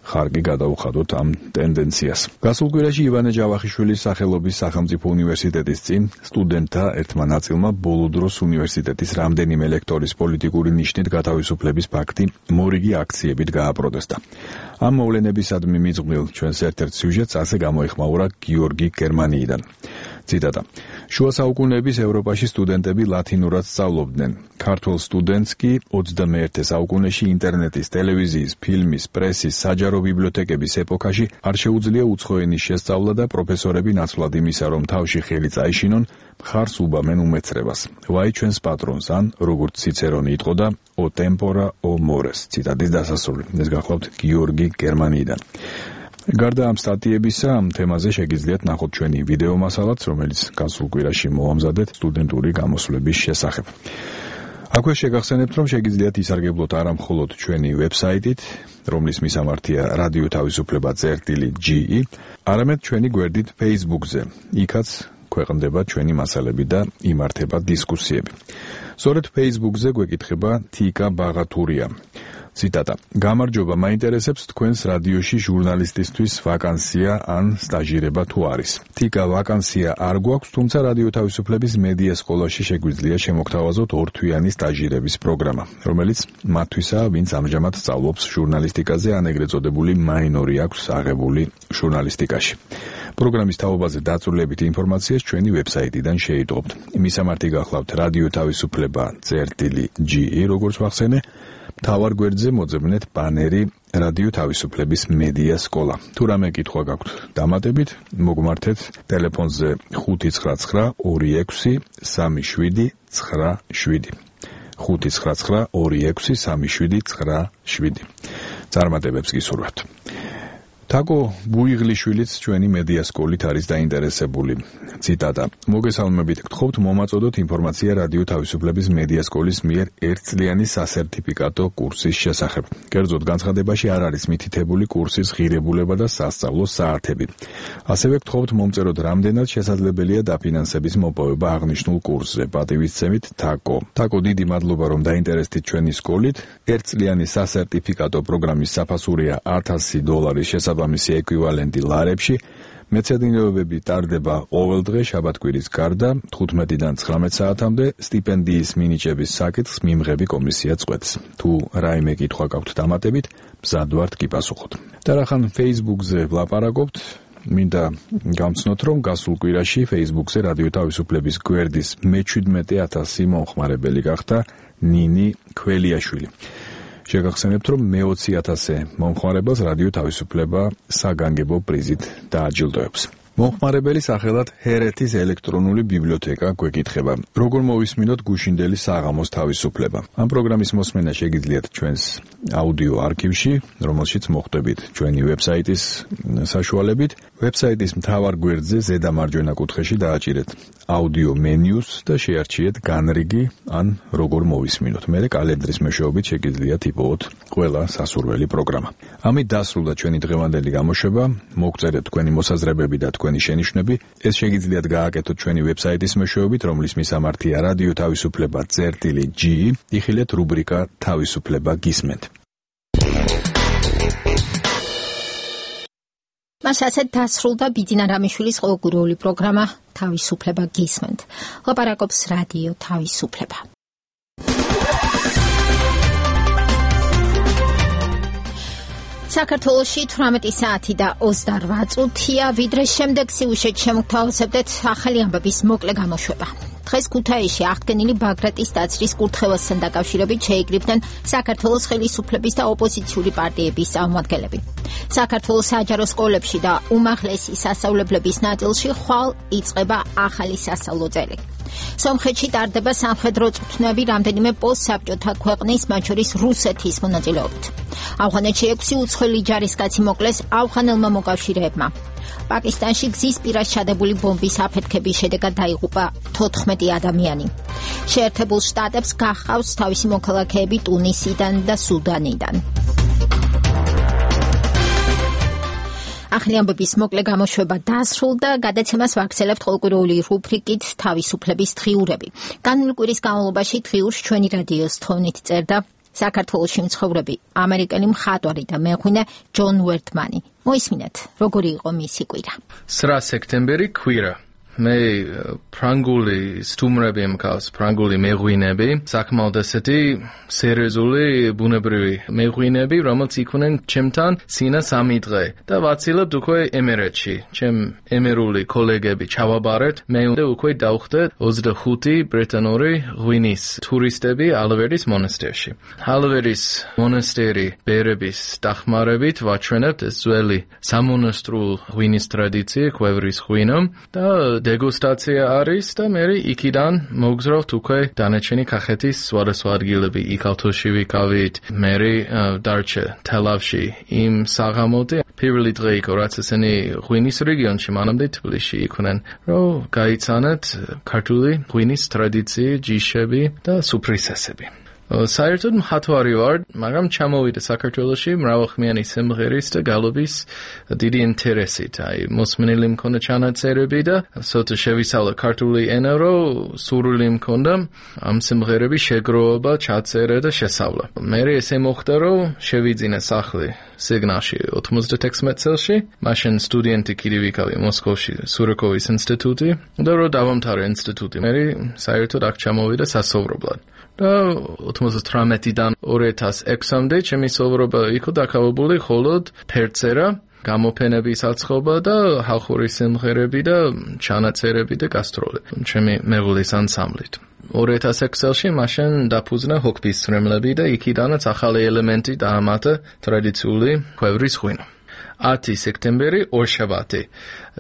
ხარკი გადაუხადოთ ამ ტენდენციას. გასულ კვირაში ივანე ჯავახიშვილის სახელობის სახელმწიფო უნივერსიტეტის წინ სტუდენტთა ერთმა ნაწილმა ბოლო დროს უნივერსიტეტის რამდენიმე ლექტორის პოლიტიკური ნიშნით გათავისუფლების ფაქტი მორიგი აქციებით გააპროტესტა. ამ მოვლენებისადმი მიძღვნილ ჩვენს ერთ-ერთ სიუჟეტს ასე გამოიხმაურა გიორგი გერმანიიდან. ციტატა: შუა საუკუნეების ევროპაში სტუდენტები ლათინურად სწავლობდნენ. ქართველ სტუდენტს კი ოცდამეერთე საუკუნეში ინტერნეტის, ტელევიზიის, ფილმის, პრესის, საჯარო ბიბლიოთეკების ეპოქაში არ შეუძლია უცხო ენის შესწავლა და პროფესორები ნაცვლად იმისა, რომ თავში ხელი წაეშინონ, მხარს უბამენ უმეცრებას. ვაი ჩვენს პატრონს, ან როგორც ციცერონი იტყოდა, o tempora o mores. ციტატის დასასრული. ეს გახლავთ გიორგი გერმანიიდან. გარდა ამ სტატიებისა, ამ თემაზე შეგიძლიათ ნახოთ ჩვენი ვიდეო მასალაც, რომელიც გასულ კვირაში მოვამზადეთ სტუდენტური გამოსვლების შესახებ. აქვე შეგახსენებთ, რომ შეგიძლიათ ისარგებლოთ არა მხოლოდ ჩვენი ვებსაიტით, რომლის მისამართია რადიო თავისუფლება წერტილი ჯი ი, არამედ ჩვენი გვერდით Facebook-ზე. იქაც ქვეყნდება ჩვენი მასალები და იმართება დისკუსიები. სწორედ Facebook-ზე გვეკითხება თიკა ბაღათურია. ციტატა: გამარჯობა, მაინტერესებს თქვენს რადიოში ჟურნალისტისთვის ვაკანსია ან სტაჟირება თუ არის. თიკა, ვაკანსია არ გვაქვს, თუმცა რადიო თავისუფლების მედია სკოლაში შეგვიძლია შემოგთავაზოთ ორთვიანი სტაჟირების პროგრამა, რომელიც მათთვისაა, ვინც ამჟამად სწავლობს ჟურნალისტიკაზე, ან ეგრეთ წოდებული მაინორი აქვს აღებული ჟურნალისტიკაში. პროგრამის თაობაზე დაწვრილებით ინფორმაციას ჩვენი ვებსაიტიდან შეიტყობთ. მისამართი გახლავთ რადიო თავისუფლება წერტილი ჯი ი, როგორც ვახსენე. მთავარ გვერდზე მოძებნეთ ბანერი რადიო თავისუფლების მედია სკოლა. თუ რამე კითხვა გაქვთ დამატებით, მოგმართეთ ტელეფონზე ხუთი ცხრა ცხრა ორი ექვსი სამი შვიდი ცხრა შვიდი. ხუთი ცხრა ცხრა ორი ექვსი სამი შვიდი ცხრა შვიდი. წარმატებებს გისურვებთ. თაკო ბუიღლიშვილიც ჩვენი მედია სკოლით არის დაინტერესებული. ციტატა: მოგესალმებით, გთხოვთ მომაწოდოთ ინფორმაცია რადიო თავისუფლების მედია სკოლის მიერ ერთწლიანი სასერტიფიკატო კურსის შესახებ. კერძოდ განცხადებაში არ არის მითითებული კურსის ღირებულება და სასწავლო საათები. ასევე გთხოვთ მომწეროთ რამდენად შესაძლებელია დაფინანსების მოპოვება აღნიშნულ კურსზე. პატივისცემით, თაკო. თაკო, დიდი მადლობა, რომ დაინტერესდით ჩვენი სკოლით. ერთწლიანი სასერტიფიკატო პროგრამის საფასურია ათასი დოლარის შესაბამისი ამისი ეკვივალენტი ლარებში. მეცადინეობები ტარდება ყოველდღე შაბათ-კვირის გარდა თხუთმეტიდან ცხრამეტ საათამდე. სტიპენდიის მინიჭების საკითხს მიმღები კომისია წყვეტს. თუ რაიმე კითხვა გაქვთ დამატებით, მზად ვართ გიპასუხოთ. და რახან Facebook-ზე ვლაპარაკობთ, მინდა გამცნოთ, რომ გასულ კვირაში Facebook-ზე რადიო თავისუფლების გვერდის მეჩვიდმეტე ათასი მომხმარებელი გახდა ნინი ქველიაშვილი. შეგახსენებთ, რომ მეოცი ათასე მომხმარებელს რადიო თავისუფლება საგანგებო პრიზით დააჯილდოებს. მომხმარებელი სახელად ჰერეთის ელექტრონული ბიბლიოთეკა გვეკითხება: როგორ მოვისმინოთ გუშინდელი საღამოს თავისუფლება? ამ პროგრამის მოსმენა შეგიძლიათ ჩვენს აუდიო არქივში, რომელშიც მოხვდებით ჩვენი ვებსაიტის საშუალებით. ვებსაიტის მთავარ გვერდზე ზედა მარჯვენა კუთხეში დააჭირეთ აუდიო მენიუს და შეარჩიეთ განრიგი ან როგორ მოვისმინოთ. მერე კალენდრის მეშვეობით შეგიძლიათ იპოვოთ ყველა სასურველი პროგრამა. ამით დასრულდა ჩვენი დღევანდელი გამოშვება. მოგწერეთ თქვენი მოსაზრებები და თქვენი შენიშვნები. ეს შეგიძლიათ გააკეთოთ ჩვენი ვებსაიტის მეშვეობით, რომლის მისამართია რადიო თავისუფლება წერტილი ჯი ი. იხილეთ რუბრიკა თავისუფლება გისმენთ. მას ასეთ დასრულდა ბიძინა რამიშვილის ყოველკვირეული პროგრამა თავისუფლება გისმენთ. ლაპარაკობს რადიო თავისუფლება. საქართველოში თვრამეტი საათი და ოცდაორ წუთია, ვიდრე შემდეგ სიუჟეტ შემოგთავაზებდეთ ახალი ამბების მოკლე გამოშვება. დღეს ქუთაისში აღდგენილი ბაგრატის დაცვის კურთხევასთან დაკავშირებით შეიკრიბნენ საქართველოს ხელისუფლების და ოპოზიციური პარტიების წარმომადგენლები. საქართველოს საჯარო სკოლებში და უმაღლესი სასწავლებლების ნაწილში ხვალ იწყება ახალი სასწავლო წელი. სომხეთში ტარდება სამხედრო წვრთნები რამდენიმე პოსტსაბჭოთა ქვეყნის, მათ შორის რუსეთის მონაწილეობით. ავღანეთში ექვსი უცხოელი ჯარისკაცი მოკლეს ავღანელმა მოკავშირეებმა. პაკისტანში გზის პირას ჩადებული ბომბის აფეთქების შედეგად დაიღუპა თოთხმეტი ადამიანი. შეერთებულ შტატებს გახავს თავისი მოქალაქეები ტუნისიდან და სუდანიდან. ახალი ამბების მოკლე გამოშვება დასრულდა. გადაცემას ვაგრძელებთ ყოველკვირეული რუბრიკით თავისუფლების დღიურები. განვლილი კვირის განმავლობაში დღიურს ჩვენი რადიოს თხოვნით წერდა საქართველოში მცხოვრები ამერიკელი მხატვარი და მეღვინე ჯონ ვერტმანი. მოისმინეთ, როგორი იყო მისი კვირა. ცხრა სექტემბერი კვირა. მე ფრანგული სტუმრები მქავს, ფრანგული მეღვინები, საკმაოდ ესეთი სერიოზული ბუნებრივი მეღვინები, რომელიც იყვნენ ჩემთან სინა სამი დღე და ვაცილებთ უკვე ემერეთში. ჩემ ემერული კოლეგები ჩავაბარეთ, მე უნდა უკვე დავხდეთ ოცდახუთი ბრიტანული ღვინის ტურისტები ალვერის მონასტერში. ალვერის მონასტერი ბერების დახმარებით ვაჩვენებთ ეს ძველი სამონასტრო ღვინის ტრადიცია, კვევრის ღვინო და დეგუსტაცია არის და მე იქიდან მოგზავნოთ უკვე დანარჩენი კახეთის სხვადასხვა ადგილები. იქ ავტოში ვიკავით, მე დარჩა თელავში იმ საღამოთი. პირველი დღე იყო, რაც ესენი ღვინის რეგიონში მანამდე თბილისში იყვნენ, რომ გაიცანეთ ქართული ღვინის ტრადიცია, ჯიშები და სუფრისესები. საერთოდ მხატვარი ვარ, მაგრამ ჩამოვიდა საქართველოში მრავალხმიანი სიმღერის და გალობის დიდი ინტერესით. აი, მოსმენილი მქონდა ჩანაწერები და ცოტა შევისწავლა ქართული ენა, რომ სურვილი მქონდა ამ სიმღერების შეგროვება, ჩაწერა და შესწავლა. მე ესე მოხდა, რომ შევიძინა სახლი სიგნალში ოთხმოცდათექვსმეტ წელში, მაშინ სტუდენტი კიდე ვიკავი მოსკოვში, სურიკოვის ინსტიტუტი და რომ დავამთავრე ინსტიტუტი. მე საერთოდ აქ ჩამოვიდა სასწავლებლად. და ოთხმოცდათვრამეტიდან ორი ათას ექვსამდე ჩემი სოვრობა იყო დაკავებული მხოლოდ ფერწერა, გამოფენების აწყობა და ხალხური სიმღერები და ჩანაწერები და გასტროლები ჩემი მეღვლის ანსამბლით. ორი ათას ექვსი წელში მაშინ დაფუძნა ჰოკბის ცრემლები და იქიდანაც ახალი ელემენტი დაამატა ტრადიციული კვევრის ღვინო. ათი სექტემბერი ორშაბათი.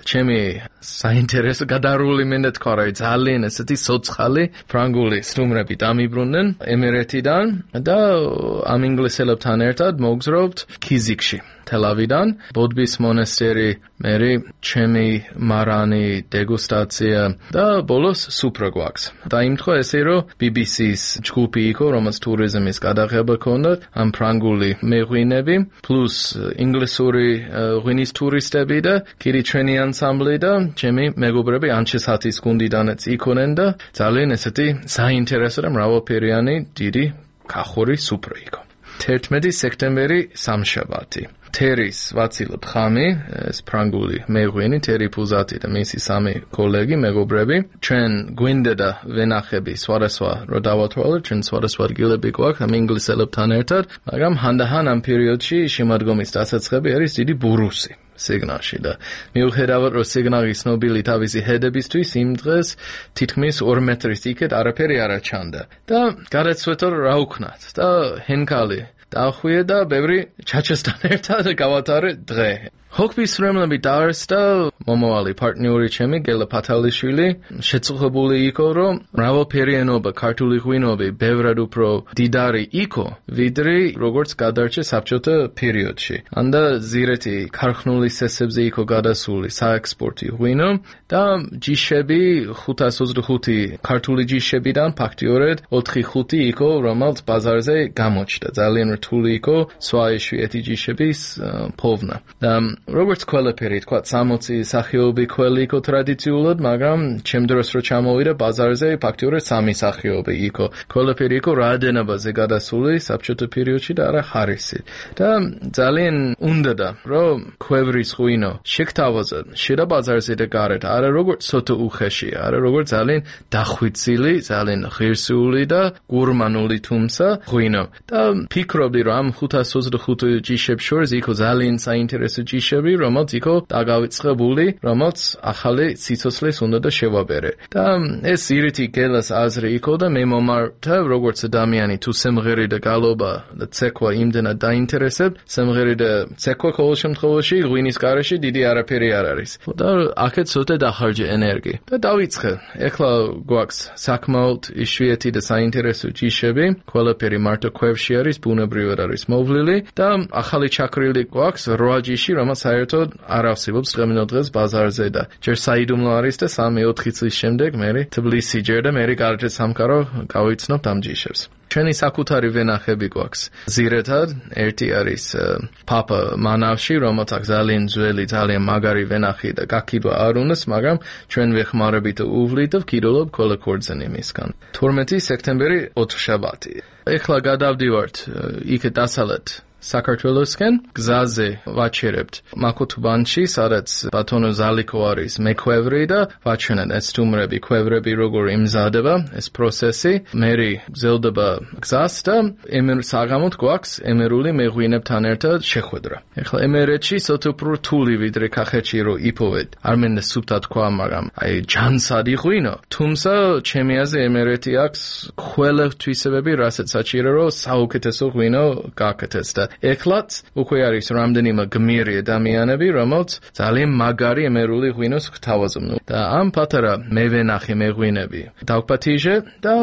ჩემი საინტერესო გადარული მინდა თქვა, რომ ძალიან ესეთი სოცხალი ფრანგული სტუმრები დამიბრუნდნენ ემერეთიდან და ამ ინგლისელებთან ერთად მოგზავნებთ ქიზიქში. თელავიდან, ბოდბის მონასტერი, მე ჩემი მარანი, დეგუსტაცია და ბოლოს სუფრა გვაქვს. დაიმთხვა ესე, რომ ბი ბი სის ჯგუფი იყო, რომელიც ტურიზმის გადაღება ჰქონდა, ამ ფრანგული მეღვინები, პლუს ინგლისური ღვინის ტურისტები და კიდე ჩვენი ანსამბლი და ჩემი მეგობრები ანჩესათის გუნდიდანაც იყვნენ და ძალიან ესეთი საინტერესო და მრავალფერიანი დიდი კახური სუფრა იყო. თერთმეტი სექტემბერი სამშაბათი. თერის ვაცილებთ ხამი, ეს ფრანგული მეღვინი, თერი ფუზატი და მისი სამი კოლეგი, მეგობრები. ჩვენ გვინდა და ვენახები სხვადასხვა რო დავათვალოთ, ჩვენ სხვადასხვა ადგილები გვაქვს ამ ინგლისელებთან ერთად, მაგრამ ჰანდაჰან ამ პერიოდში შემოდგომის დასაწყები არის დიდი ბურუსი სიგნალში და მიუხედავად რომ სიგნალის ნობილი თავისი ჰედებისთვის იმ დღეს თითქმის ორ მეტრის იქეთ არაფერი არ აჩანდა და გადაწყვეტა რა ვქნათ და ჰენკალი დახვიე და ბევრი ჩაჩესთან ერთად გავატარე დღე. ჰოკბის ცრემლები დაარსდა მომავალი პარტნიორი ჩემი გელა ფათალიშვილი შეწუხებული იყო რომ მრავალფერიანობა ქართული ღვინოები ბევრად უფრო დიდარი იყო ვიდრე როგორც გადარჩა საბჭოთა პერიოდში. ანდა ზირეთი ქარხნული სესებზე იყო გადასული საექსპორტი ღვინო და ჯიშები ხუთას ოცდახუთი ქართული ჯიშებიდან ფაქტიურად ოთხი ხუთი იყო რომელიც ბაზარზე გამოჩნდა. ძალიან რთული იყო სხვა იშვიათი ჯიშების პოვნა. და როგორც ყველაფერი თქვა სამოცი სახეობი ქველი იყო ტრადიციულად, მაგრამ ჩემ დროს რო ჩამოვიდა ბაზარზე ფაქტიურად სამი სახეობი იყო. ყველაფერი იყო რაოდენობაზე გადასული საბჭოთა პერიოდში და არა ხარისი. და ძალიან უნდოდა რომ კვევრის ღვინო შეგთავაზა შიდა ბაზარზე და გარეთ, არა როგორც ცოტა უხეში, არა როგორც ძალიან დახვიცილი, ძალიან ღირსეული და გურმანული თუმცა ღვინო. და ფიქრობდი რომ ამ ხუთას ოცდახუთი ჯიშებს შორის იყო ძალიან საინტერესო ჯიშები, რომელიც იყო დაგავიწყებული, რომელიც ახალი სიცოცხლის უნდა და შევაბერე. და ეს ირითი გელას აზრი იყო და მე მომართა როგორც ადამიანი თუ სიმღერი და გალობა და ცეკვა იმდენად დაინტერესებ, სიმღერი და ცეკვა ყოველ შემთხვევაში ღვინის გარეშე დიდი არაფერი არ არის. და აქეთ ცოტა დახარჯა ენერგია. და დავიწყე. ეხლა გვაქვს საკმაოდ იშვიათი და საინტერესო ჯიშები, ყველაფერი მარტო კვევში არის, ბუნებრივად არის მოვლილი და ახალი ჩაქრილი გვაქვს რვა ჯიში, რომელიც საერთოდ არ ავსებობს დღემდე დღეს ბაზარზე და ჯერ საიდუმლო არის და სამი ოთხი წლის შემდეგ მე თბილისში ჯერ და მე გარეთ სამკარო გავიცნობთ ამ ჯიშებს. ჩვენი საკუთარი ვენახები გვაქვს. ზირეთად ერთი არის პაპა მანავში, რომელსაც ძალიან ძველი, ძალიან მაგარი ვენახი და გაკიდვა არ უნდას, მაგრამ ჩვენ ვეხმარებით უვლით და ვკიდულობ ყველა ქორწინი მისგან. თორმეტი სექტემბერი ოთხშაბათი. ეხლა გადავდივართ იქ დასავლეთ საქართველოსკენ გზაზე ვაჩერებთ მაკუთუბანში, სადაც ბატონო ზალიკო არის მექვევრი და ვაჩვენებთ ეს სტუმრები, ქვევრები როგორ იმზადება ეს პროცესი. მერი გზელდება გზას და ემერ საღამოთ გვაქვს ემერული მეღვინებთან ერთად შეხვედრა. ეხლა ემერეთში სოთო უფრო რთული ვიდრე კახეთში რო იპოვეთ. არ მინდა სუფთა თქვა, მაგრამ აი ჯანსადი ღვინო. თუმცა ჩემი აზრით ემერეთი აქვს ყველა თვისებები, რასაც საჭირო რომ საუკეთესო ღვინო გააკეთოს და ეხლაც უკვე არის რამდენიმე გმირი ადამიანები, რომელთ ძალიან მაგარი ემერული ღვინოს გთავაზობენ. და ამ პატარა მევენახე მეღვინები დავპატიჟე და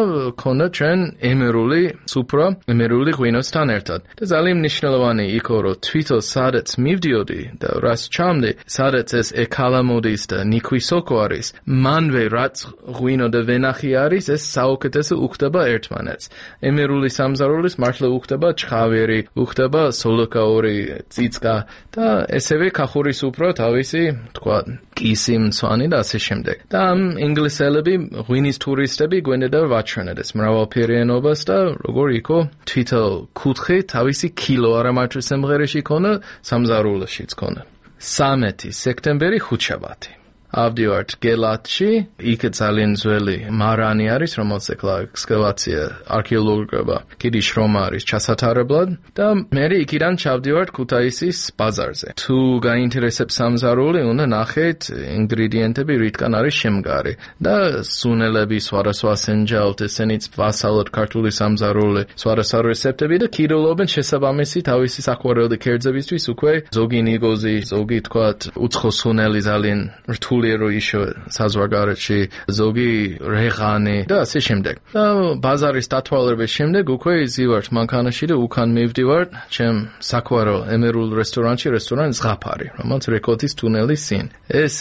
ქონდა ჩვენ ემერული სუპრა ემერული ღვინოსთან ერთად. და ძალიან მნიშვნელოვანი იყო, რომ თვითონ სადაც მივდიოდი და რას ჩამდი, სადაც ეს ეკალამოდის და ნიქვი სოკო არის, მანვე რაც ღვინო და ვენახი არის, ეს საუკეთესო უხდება ერთმანეთს. ემერული სამზარულის მართლა უხდება ჩხავერი, უხდება სოლოკაური ციცკა და ესევე კახური სუფრა თავისი თქვა კისი მცვანი და ასე შემდეგ. და ამ ინგლისელები ღვინის ტურისტები გვენდა ვაჩვენეთ ეს მრავალფერიანობას და როგორ იყო თვითონ კუთხე თავისი კილო არა მარტო სიმღერაში ქონა, სამზარულოშიც ქონა. სამეთი სექტემბერი ხუთშაბათი. ავდივართ გელათში, იქ ძალიან ძველი მარანი არის, რომელსაც ეხლა ექსკავაცია არქეოლოგია კიდე შრომა არის ჩასათარებლად და მე იქიდან ჩავდივართ ქუთაისის ბაზარზე. თუ გაინტერესებს სამზარული, უნდა ნახეთ ინგრედიენტები რითგან არის შემგარი და სუნელები, სხვადასხვა სენჯაოთ, ესენიც ვასალოთ ქართული სამზარული, სხვადასხვა რეცეპტები და კიდულობენ შესაბამისი თავისი საყვარელი კერძებისთვის უკვე ზოგი ნიგოზი, ზოგი თქვათ უცხო სუნელი ძალიან რთული რო ისო საზღვარგარეთში ზოგი რეღანი და ასე შემდეგ. და ბაზარის დათვალების შემდეგ უკვე იზივართ მანქანაში და უკან მივდივართ ჩემ საყვარელ ემერულ რესტორანში, რესტორან ზღაფარი, რომელიც რეკოთის თუნელის წინ. ეს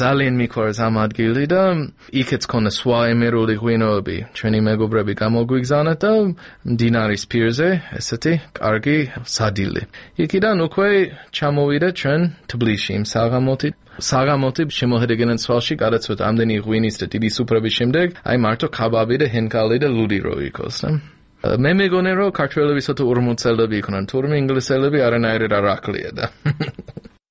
ძალიან მიყვარს ამ ადგილი და იქაც ქონა სხვა ემერული ღვინოები, ჩვენი მეგობრები გამოგვიგზავნათ და მდინარის პირზე ესეთი კარგი სადილე. იქიდან უკვე ჩამოვიდა ჩვენ თბილისში იმ საღამოთი საღამოთი შემოհედეგენან სვალში გადაცვეთ ამდენი ღვინის და დიდი სუფრების შემდეგ, აი მარტო კაბაბი და ჰენკალი და ლუდი რო იქოს. მე მეგონე რომ ქართველები სოთო ორმოცელები იქნან, თურმე ინგლისელები არანაირად არ აკლია და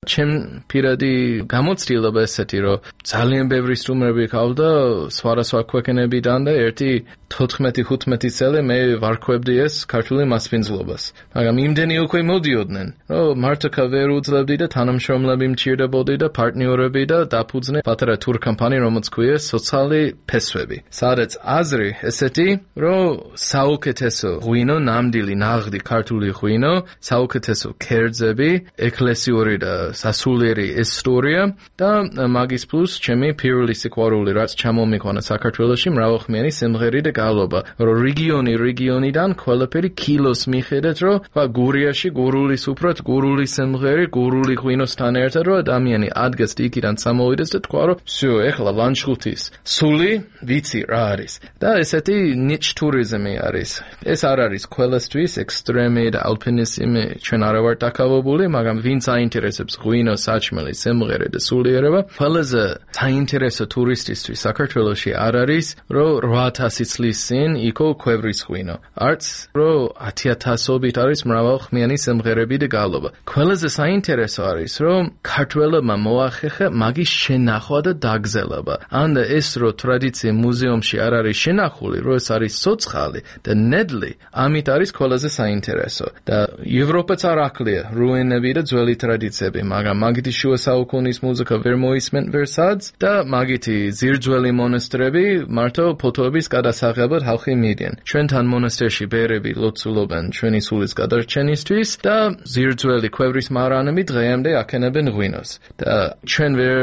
ჩემ პირადი გამოცდილება ესეთი, რომ ძალიან ბევრი სტუმრები ყავდა სხვადასხვა ქვეყნებიდან და ერთი თოთხმეტი ხუთმეტი წელი მე ვარქვებდი ეს ქართული მასპინძლობას. მაგრამ იმდენი უკვე მოდიოდნენ, რომ მარტო ვერ უძლებდი და თანამშრომლები მჭირდებოდი და პარტნიორები და დაფუძნე პატარა ტურ კამპანია, რომელიც ქვია სოციალური ფესვები. სადაც აზრი ესეთი, რომ საუკეთესო ღვინო, ნამდვილი ნაღდი ქართული ღვინო, საუკეთესო კერძები, ეკლესიური და სასულიერი ისტორია და მაგის პლუს ჩემი პირველი სიყვარული, რაც ჩამომიყვანა საქართველოში მრავალხმიანი სიმღერი და გალობა, რომ რეგიონი რეგიონიდან ყველაფერი კილოს მიხედეთ, რომ გურიაში გურული სუფრად, გურული სიმღერი, გურული ღვინოსთან ერთად, რომ ადამიანი ადგეს იქიდან წამოვიდეს და თქვა, რომ всё, ეხლა ლანჩხუთის სული ვიცი რა არის. და ესეთი ნიჩ ტურიზმი არის. ეს არ არის ყველასთვის ექსტრემი და ალპინიზმი, ჩვენ არ ვართ დაკავებული, მაგრამ ვინც აინტერესებს ღვინო, საჭმელი, სიმღერე და სულიერება, ყველაზე საინტერესო ტურისტისთვის საქართველოში არ არის, რომ რვა ათასი წლის წინ იყო ქვევრის ღვინო. არც რომ ათი ათასობით არის მრავალხმიანი სიმღერები და გალობა. ყველაზე საინტერესო არის, რომ ქართველებმა მოახერხა მაგის შენახვა და დაგზელება. ან ეს რო ტრადიცია მუზეუმში არ არის შენახული, რომ ეს არის ცოცხალი და ნედლი, ამით არის ყველაზე საინტერესო. და ევროპაც არ აკლია რუინები და ძველი ტრადიციები, მაგრამ მაგითი შუა საუკუნის მუსიკა ვერ მოისმენ ვერსადს და მაგითი ძირძველი მონასტრები მარტო ფოტოების გადასაღებად ხალხი მიდიან. ჩვენთან მონასტერში ბერები ლოცულობენ ჩვენი სულის გადარჩენისთვის და ძირძველი ქვევრის მარანები დღემდე აკენებენ ღვინოს. და ჩვენ ვერ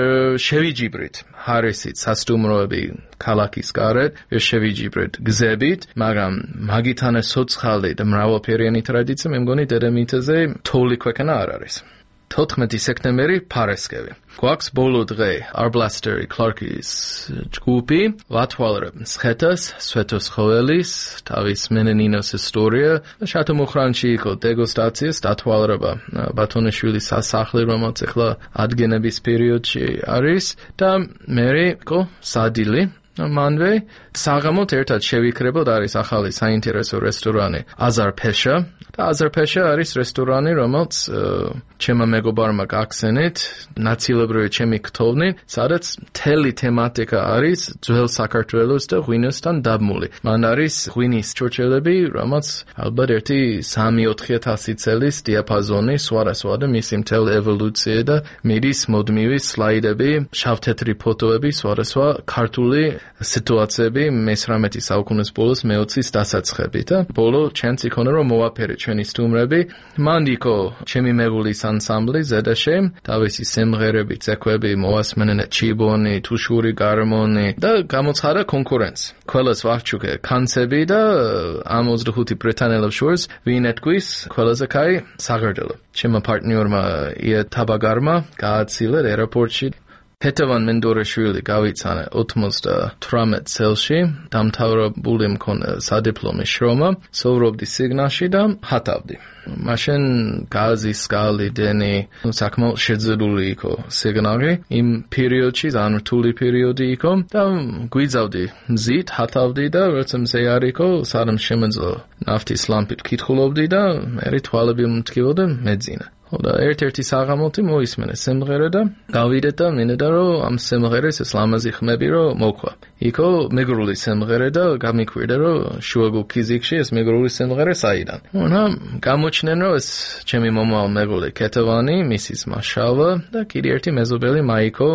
შევიჯიბრით ჰარისით სასტუმროები ქალაქის გარეთ, ვერ შევიჯიბრით გზებით, მაგრამ მაგითანა სოცხალი და მრავალფერიანი ტრადიცია მე მგონი დედამიწაზე თოვლი ქვეყანა არ არის. თოთხმეტი სექტემბერი ფარესკევი. გვაქვს ბოლო დღე Arblaster Clark-ის ჯგუფი, ვათვალებ მსხეთას, სვეტოს ხოველის, თავის მენენინოს ისტორია, შატო მუხრანში იყო დეგუსტაციის დათვალება ბათონიშვილის სასახლე, რომელიც ახლა ადგენების პერიოდში არის და მერე იყო სადილი მანვე საღამოთ ერთად შევიქრებოდ არის ახალი საინტერესო რესტორანი აზარფეშა და აზარფეშა არის რესტორანი რომელიც ჩემმა მეგობარმა გახსენეთ ნაცილებრივი ჩემი ქთოვნით სადაც მთელი თემატიკა არის ძველ საქართველოს და ღვინოსთან დაბმული მან არის ღვინის ჩურჩელები რომელიც ალბათ ერთი სამი ოთხი ათასი წელის დიაპაზონი სხვადასხვა და მისი მთელი ევოლუცია და მიდის მოდმივი სლაიდები შავთეთრი ფოტოები სხვადასხვა ქართული სიტუაციები მესამე საუკუნის ბოლოს მეოცის დასაწყები და ბოლო ჩანს იქონა რომ მოვაფერე ჩვენი სტუმრები მან იყო ჩემი მეგულის ანსამბლი ზედაშე თავისი სიმღერები ცეკვები მოასმენენ ჩიბონი თუშური გარმონი და გამოცხადა კონკურენცია ყველას ვარჩუკე კანცები და ამ ოცდახუთი ბრიტანელებს შორის ვინ ეთქვის ყველაზე კაი საგრძელო ჩემმა პარტნიორმა ია თაბაგარმა გააცილა აეროპორტში Petavan Mendorashvili გავიცანა ოცდათვრამეტ წელში დამთავრებული მქონდა სადიპლომო შრომა სოვრობდი სიგნალში და ჰათავდი მაშინ გაზი სკალი დენი საკმაოდ შეძლებული იყო სიგნალი იმ პერიოდში ძალიან რთული პერიოდი იყო და გვიზავდი მზით ჰათავდი და როცა მზე არ იყო სანამ შემეძლო ნაფტის ლამპით ვკითხულობდი და მე თვალები მომტკივოდა მეძინა და ერთ-ერთი საღამოთი მოისმენე სიმღერა და გავიდე და მინდა რომ ამ სიმღერას ეს ლამაზი ხმები რომ მოქვა. იქო მეგრული სიმღერა და გამიკვირდა რომ შუაგულ ფიზიკში ეს მეგრული სიმღერა საიდან. და გამოჩნდნენ რომ ეს ჩემი მომავალ მეგრული კეთევანი, მისის მაშავა და კიდე ერთი მეზობელი მაიკო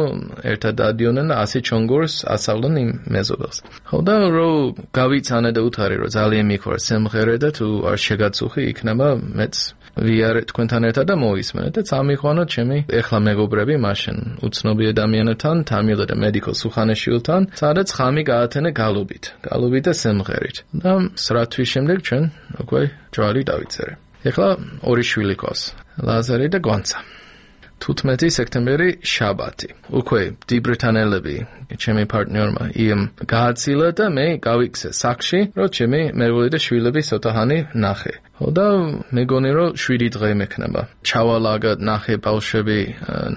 ერთად დადიოდნენ და ასი ჩონგურს ასავლენ იმ მეზობელს. ხო და რომ გავიცანა და უთარი რომ ძალიან მიყვარს სიმღერა და თუ არ შეგაწუხი იქნება მეც ვიარე თქვენთან ერთად და მოისმენეთ და წამიყვანა ჩემი ეხლა მეგობრები მაშინ უცნობი ადამიანთან თამილ და მედიკო სუხანაშვილთან სადაც ხამი გაათენა გალობით გალობით და სიმღერით და სრა თვის შემდეგ ჩვენ უკვე ჯვარი დავიწერე ეხლა ორი შვილი ყავს ლაზარი და გვანცა თუთხმეტი სექტემბერი შაბათი უკვე ბრიტანელები ჩემი პარტნიორმა იმ გააცილა და მე გავიქცე საქში რომ ჩემი მეგობარი და შვილები ცოტაჰანი ნახე ხო და მეგონი რომ შვიდი დღე მექნება ჩავალაგა ნახე ბავშვები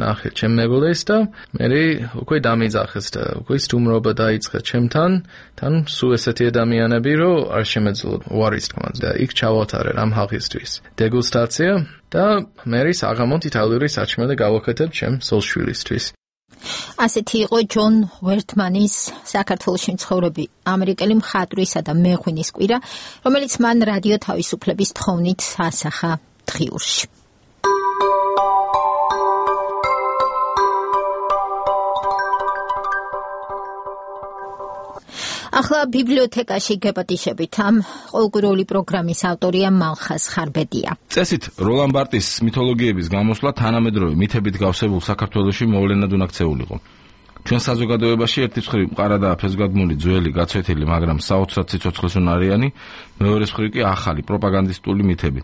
ნახე ჩემ მეგობარს და მე უკვე დამიძახეს და უკვე სტუმრობა დაიწყე ჩემთან თან სულ ესეთი ადამიანები რომ არ შემეძლო უარის თქმა და იქ ჩავატარე რამ ხალხისთვის დეგუსტაცია და მე საღამოთ იტალიური საჭმელი გავაკეთებ ჩემ სოლშვილისთვის ასეთი იყო ჯონ ვერტმანის საქართველოში მცხოვრები ამერიკელი მხატვრისა და მეღვინის კვირა, რომელიც მან რადიო თავისუფლების თხოვნით ასახა დღიურში. ახლა ბიბლიოთეკაში გეპატიშებით ამ ყოველკვირეული პროგრამის ავტორია მალხაზ ხარბედია. წესით როლან ბარტის მითოლოგიების გამოსვლა თანამედროვე მითებით გავსებულ საქართველოში მოვლენად უნაქცეულიყო. ჩვენ საზოგადოებაში ერთი მხრივ მყარადაა ფესვგადგმული ძველი გაცვეთილი, მაგრამ საოცრად სიცოცხლესუნარიანი, მეორე მხრივ კი ახალი პროპაგანდისტული მითები,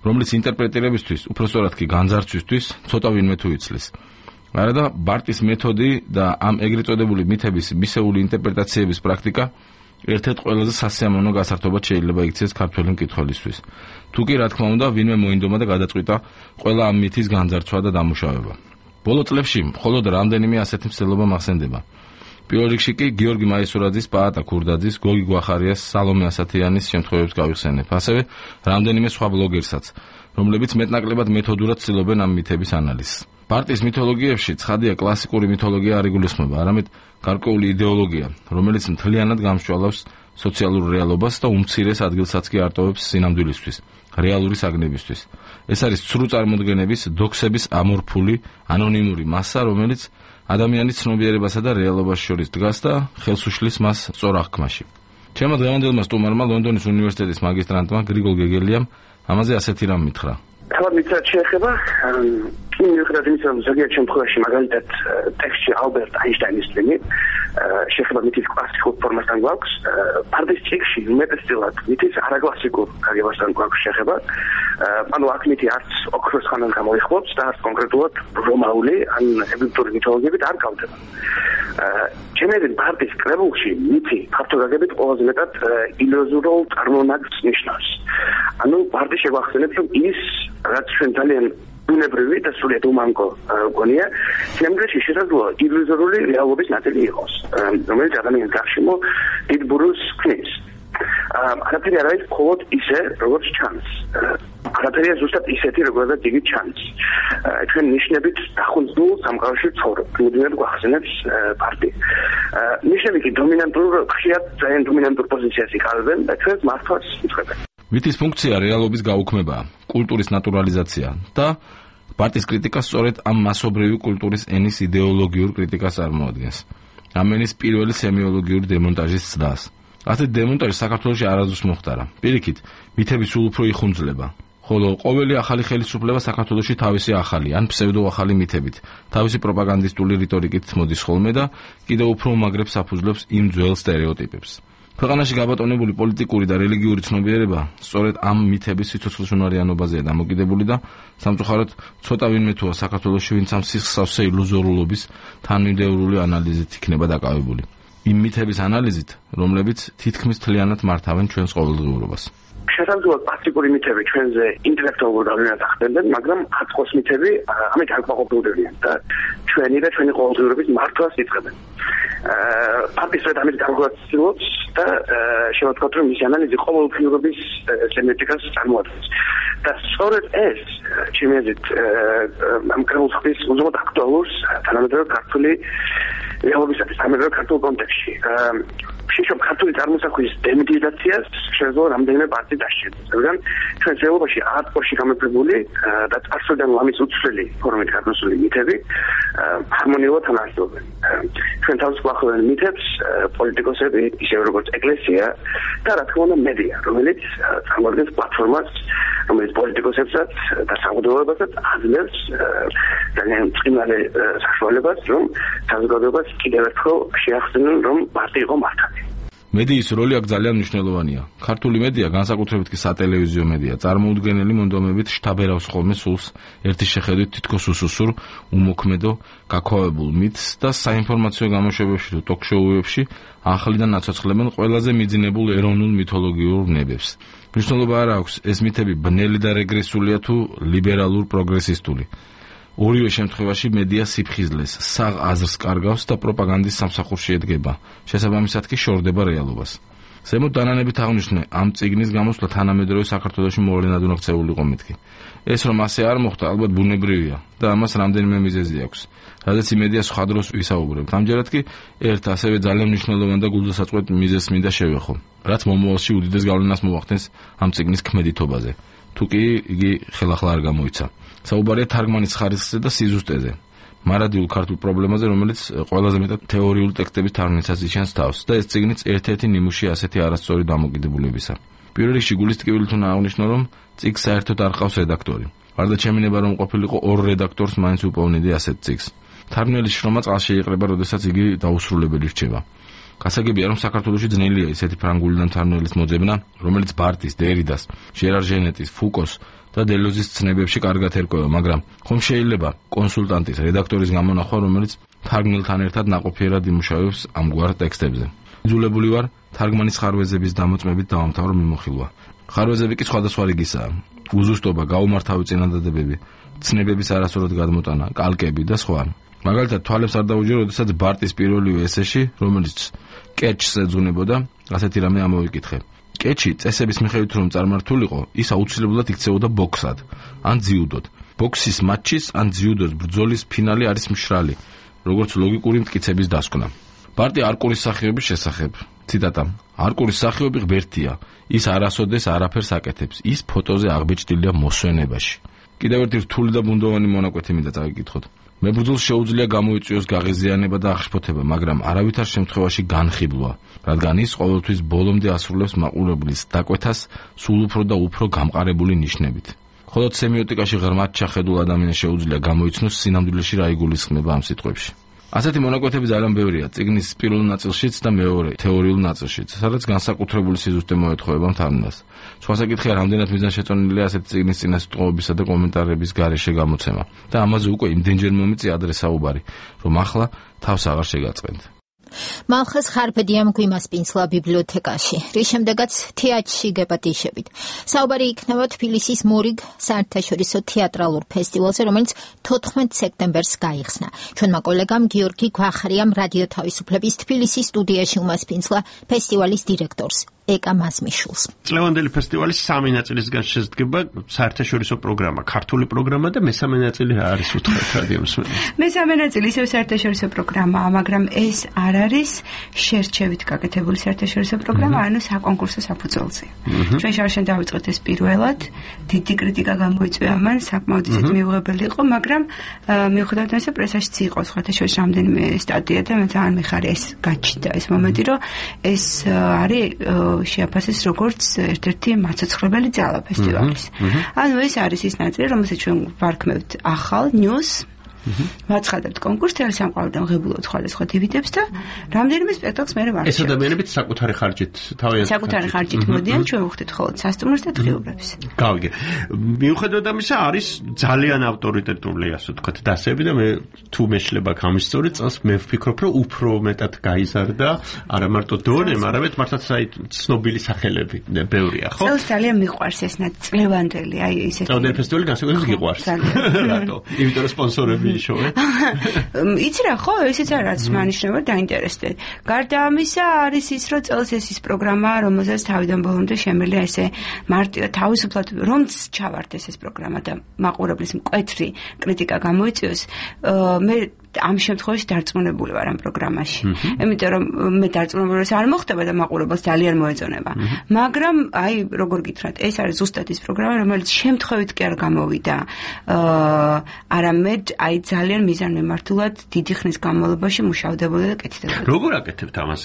რომლის ინტერპრეტირებისთვის, უпростоრად კი განძარცვისთვის ცოტა ვინმე თუ იცლის. არადა ბარტის მეთოდი და ამ ეგრეთ წოდებული მითების მისეული ინტერპრეტაციების პრაქტიკა ერთ-ერთ ყველაზე სასიამოვნო გასართობად შეიძლება იქცეს ქართველი მკითხველისთვის. თუ კი რა თქმა უნდა ვინმე მოინდომა და გადაწყვიტა ყველა ამ მითის განძარცვა და დამუშავება. ბოლო წლებში მხოლოდ რამდენიმე ასეთი მსვლელობა მახსენდება. პირველ რიგში კი გიორგი მაისურაძის, პაატა ქურდაძის, გოგი გვახარიას, სალომე ასათიანის შემთხვევებს გავიხსენებ. ასევე რამდენიმე სხვა ბლოგერსაც, რომლებიც მეტნაკლებად მეთოდურად ცდილობენ ამ მითების ანალიზს. ბარტის მითოლოგიებში ცხადია კლასიკური მითოლოგია არ იგულისხმება, არამედ გარკვეული იდეოლოგია, რომელიც მთლიანად გამსჭვალავს სოციალურ რეალობას და უმცირეს ადგილსაც კი არტოვებს სინამდვილისთვის, რეალური საგნებისთვის. ეს არის ცრუ წარმოდგენების, დოქსების ამორფული, ანონიმური მასა, რომელიც ადამიანის ცნობიერებასა და რეალობას შორის დგას და ხელს უშლის მას სწორ აღქმაში. ჩემმა დღევანდელმა სტუმარმა ლონდონის უნივერსიტეტის მაგისტრანტმა გრიგოლ გეგელიამ ამაზე ასეთი რამ მითხრა. თავად მიცად შეეხება იმ მიუხედავად იმისა, რომ ზოგიერთ შემთხვევაში მაგალითად ტექსტში ალბერტ აინშტაინის წინი შეეხება მითის კლასიკურ ფორმასთან გვაქვს, პარტიის წიგნში უმეტესწილად მითის არაკლასიკურ გაგებასთან გვაქვს შეეხება. ანუ აქ მითი არც ოქროს ხანას გამოიხმობს და არც კონკრეტულად რომაული ან ეგვიპტური მითოლოგიებით არ გავდება. ჩემი პარტიის კრებულში მითი ფაქტოგაგებით ყველაზე მეტად ილუზორულ წარმონაქმნს ნიშნავს. ანუ პარტია შეგვახსენებს, რომ ის რაც ჩვენ ძალიან ბუნებრივი და სრულიად უმანკო გონია, შემდგომში შესაძლოა ილუზორული რეალობის ნაწილი იყოს, რომელიც ადამიანის გარშემო დიდ ბურულს ქმნის. არაფერი არ არის მხოლოდ ისე, როგორც ჩანს. არაფერია ზუსტად ისეთი, როგორაც იგი ჩანს. ჩვენ ნიშნებით დახუნძულ სამყაროში ცხოვრობ. მუდმივად გვახსენებს პარტია. ნიშნები კი დომინანტურ, ხშირად ძალიან დომინანტურ პოზიციას იკავებენ და ჩვენს მართვას იწვევენ. მითის ფუნქცია რეალობის გაუქმებაა, კულტურის ნატურალიზაცია და პარტიის კრიტიკა სწორედ ამ მასობრივი კულტურის ენის იდეოლოგიურ კრიტიკას წარმოადგენს. ამ ენის პირველი სემიოლოგიური დემონტაჟის ცდას. ასეთ დემონტაჟი საქართველოში არასდროს მოხდარა. პირიქით, მითები სულ უფრო იხუნძლება. ხოლო ყოველი ახალი ხელისუფლება საქართველოში თავისი ახალი ან ფსევდოახალი მითებით, თავისი პროპაგანდისტული რიტორიკით მოდის ხოლმე და კიდევ უფრო უმაგრებს საფუძვლებს იმ ძველ სტერეოტიპებს. ქვეყანაში გაბატონებული პოლიტიკური და რელიგიური ცნობიერება სწორედ ამ მითების სიცოცხლეშინარიანობაზეა დამოკიდებული და სამწუხაროდ ცოტა ვინმე თუა საქართველოში ვინც ამ სისხლსავსე ილუზორულობის თანმიმდევრული ანალიზით იქნება დაკავებული. იმ მითების ანალიზით, რომლებიც თითქმის მთლიანად მართავენ ჩვენს ყოველდღიურობას. შესაძლოა კლასიკური მითები ჩვენზე ინტელექტუალურ გავლენას ახდენდნენ, მაგრამ აწყვოს მითები ამით არ ყოფილდებიან და ჩვენი და ჩვენი ყოველდღიურობის მართვას იწყებენ. პარტიის ამით გარკვეულწილობს და შემოთქვათ, რომ მისი ანალიზი ყოველდღიურობის სემიოტიკას წარმოადგენს. და სწორედ ეს, ჩემი აზრით, ამ კრებულს უზომოდ აქტუალურს თანამედროვე ქართული რეალობისათვის, თანამედროვე ქართულ კონტექსტში. შეშობ ქართული წარმოსახვის დემიტიზაციას შეძლო რამდენიმე პარტია დასჭირდა. რადგან ჩვენ რეალობაში არტყოში გამეფებული და წარსულიდან ამის უცვლელი ფორმით გადმოსული მითები ჰარმონიულად თანასწორობენ. ჩვენ თავს გვახმოვან მითებს პოლიტიკოსები, ისე როგორც ეკლესია და რა თქმა უნდა მედია, რომელიც წარმოადგენს პლატფორმას, რომელიც პოლიტიკოსებსაც და საზოგადოებასაც აძლევს ძალიან წყინვალე საშუალებას, რომ საზოგადოებას კიდევ ერთხელ შეახსენონ, რომ პარტია იყო მართალი. მედიის როლი აქ ძალიან მნიშვნელოვანია. ქართული მედია, განსაკუთრებით კი სატელევიზიო მედია, წარმოუდგენელი მონდომებით შთაბერავს ხოლმე სულს ერთი შეხედვით თითქოს უსუსურ, უმოქმედო, გაქვავებულ მითს და საინფორმაციო გამოშვებებში თუ ტოქ-შოუებში ახლიდან აცოცხლებენ ყველაზე მიძინებულ ეროვნულ მითოლოგიურ ნებებს. მნიშვნელობა არ აქვს, ეს მითები ბნელი და რეგრესულია თუ ლიბერალურ პროგრესისტული. ორივე შემთხვევაში მედია სიფხიზლეს, საღ აზრს კარგავს და პროპაგანდის სამსახურში ედგება. შესაბამისად კი შორდება რეალობას. ზემოთ დანანებით აღნიშნე, ამ წიგნის გამოსვლა თანამედროვე საქართველოში მოვლენად უნდა ქცეულიყო მეთქი. ეს რომ ასე არ მოხდა, ალბათ ბუნებრივია და ამას რამდენიმე მიზეზი აქვს. რადგან იმედია სხვა დროს ვისაუბრებთ. ამჯერად კი ერთ ასევე ძალიან მნიშვნელოვან და გულდასაწყვეტ მიზეზს მინდა შევეხო, რაც მომავალში უდიდეს გავლენას მოახდენს ამ წიგნის ქმედითობაზე. თუ კი იგი ხელახლა არ გამოიცა. საუბარია თარგმანის ხარისხზე და სიზუსტეზე. მარადიულ ქართულ პრობლემაზე, რომელიც ყველაზე მეტად თეორიული ტექსტების თარგმნისას იჩენს თავს და ეს წიგნიც ერთ-ერთი ნიმუში ასეთი არასწორი დამოკიდებულებისა. პირველ რიგში გულის ტკივილი თუ აღნიშნო, რომ წიგნს საერთოდ არ ყავს რედაქტორი. გარდა ჩემინება რომ ყოფილიყო ორ რედაქტორს მაინც უპოვნიდი ასეთ წიგნს. თარგმნელის შრომა წყალში იყრება, როდესაც იგი დაუსრულებელი რჩება. გასაგებია, რომ საქართველოში ძნელია ისეთი ფრანგულიდან თარგმნელის მოძებნა, რომელიც ბარტის, დერიდას, ჟერარ ჟენეტის, ფუკოს და დელოზის ცნებებში კარგად ერკვევა, მაგრამ ხომ შეიძლება კონსულტანტის, რედაქტორის გამონახვა, რომელიც თარგმნელთან ერთად ნაყოფიერად იმუშავებს ამგვარ ტექსტებზე. იძულებული ვარ თარგმანის ხარვეზების დამოწმებით დავამთავრო მიმოხილვა. ხარვეზები კი სხვადასხვა რიგისაა. უზუსტობა, გაუმართავი წინადადებები, ცნებების არასწორად გადმოტანა, კალკები და სხვა. მაგალითად, თვალებს არ დაუჯერო, როდესაც ბარტის პირველივე ესეში, რომელიც კეჩს ეძღვნებოდა, ასეთი რამე ამოვიკითხე. კეჩი წესების მიხედვით რომ წარმართულიყო, ის აუცილებლად იქცეოდა ბოქსად, ან ძიუდოდ. ბოქსის მატჩის ან ძიუდოს ბრძოლის ფინალი არის მშრალი, როგორც ლოგიკური მტკიცების დასკვნა. პარტია არკურის სახეობის შესახებ. ციტატა: არკურის სახეობი ღმერთია, ის არასოდეს არაფერს აკეთებს, ის ფოტოზე აღბეჭდილია მოსვენებაში. კიდევ ერთი რთული და ბუნდოვანი მონაკვეთი მინდა წავიკითხოთ. მებრძოლს შეუძლია გამოიწვიოს გაღიზიანება და აღშფოთება, მაგრამ არავითარ შემთხვევაში განხიბლვა, რადგან ის ყოველთვის ბოლომდე ასრულებს მაყურებლის დაკვეთას სულ უფრო და უფრო გამყარებული ნიშნებით. ხოლო სემიოტიკაში ღრმად ჩახედულ ადამიანს შეუძლია გამოიცნოს სინამდვილეში რა იგულისხმება ამ სიტყვებში. ასეთი მონაკვეთები ძალიან ბევრია წიგნის პირველ ნაწილშიც და მეორე თეორიულ ნაწილშიც, სადაც განსაკუთრებული სიზუსტე მოეთხოვება მთარგმნელს. სხვა საკითხია, რამდენად მიზანშეწონილია ასეთი წიგნის წინასწარმოებისა და კომენტარების გარეშე გამოცემა და ამაზე უკვე იმდენჯერ მომიწია ადრე საუბარი, რომ ახლა თავს აღარ შეგაწყენთ. მალხეს ხარბედია მგვიმასპინსლა ბიბლიოთეკაში, რის შემდეგაც თეატრში გეპატიშებით. საუბარი იქნება თბილისის მორიგ საერთაშორისო თეატრალურ ფესტივალზე, რომელიც თოთხმეტ სექტემბერს გაიხსნა. ჩვენმა კოლეგამ გიორგი გვახარიამ რადიო თავისუფლების თბილისის სტუდიაში უმასპინსლა ფესტივალის დირექტორს ეკა მასმიშულს. წლევანდელი ფესტივალის სამი ნაწილისგან შედგება საერთაშორისო პროგრამა, ქართული პროგრამა და მესამე ნაწილი რა არის უთხრეთ რადიო მსმენელს. მესამე ნაწილი ისევ საერთაშორისო პროგრამაა, მაგრამ ეს არ არის შერჩევით გაკეთებული საერთაშორისო პროგრამა, ანუ საკონკურსო საფუძველზე. ჩვენ შარშან დავიწყეთ ეს პირველად, დიდი კრიტიკა გამოიწვია მან, საკმაოდ ისეთ მიუღებელი იყო, მაგრამ მიუხედავად ამისა პრესაშიც იყო სხვათა შორის რამდენიმე სტატია და მე ძალიან მიხარია ეს გაჩნდა ეს მომენტი, რომ ეს არის შეაფასეს როგორც ერთ-ერთი მაცოცხლებელი ძალა ფესტივალის. ანუ ეს არის ის ნაწილი, რომელსაც ჩვენ ვარქმევთ ახალ ნიუს ვაცხადებთ კონკურსს თელ სამყაროდან ღებულობთ სხვადასხვა დივიდებს და რამდენიმე სპექტაკლს მე ვარჩევ. ეს ადამიანებიც საკუთარი ხარჯით თავიანთი საკუთარი ხარჯით მოდიან, ჩვენ ვხვდით ხოლმე სასტუმროს და დღიურებს. გავიგე. მიუხედავად ამისა არის ძალიან ავტორიტეტული, ასე ვთქვათ, დასები და მე თუ მეშლება გამისწორი წელს მე ვფიქრობ, რომ უფრო მეტად გაიზარდა არა მარტო დონემ, არამედ მართლაც აი ცნობილი სახელები ბევრია, ხო? წელს ძალიან მიყვარს ეს ნაწილევანდელი, აი ესეთი. წელს ფესტივალი განსაკუთრებით გიყვარს. რატო? იმიტომ რომ სპონსორები იცი რა ხო, ესეც არის მანიშნობა დაინტერესდე. გარდა ამისა არის ის, რომ წელს ეს ის პროგრამაა, რომელსაც თავიდან ბოლომდე შემიძლია ესე მარტივად თავისუფლად რომც ჩავარდეს ეს პროგრამა და მაყურებლის მკვეთრი კრიტიკა გამოიწვიოს, მე ამ შემთხვევაში დარწმუნებული ვარ ამ პროგრამაში. იმიტომ რომ მე დარწმუნებული არ მოხდება და მაყურებელს ძალიან მოეწონება. მაგრამ აი როგორ გითხრათ, ეს არის ზუსტად ის პროგრამა, რომელიც შემთხვევით კი არ გამოვიდა. არამედ აი ძალიან მიზანმიმართულად დიდი ხნის განმავლობაში მუშავდებოდა და კეთდებოდა. როგორ აკეთებთ ამას?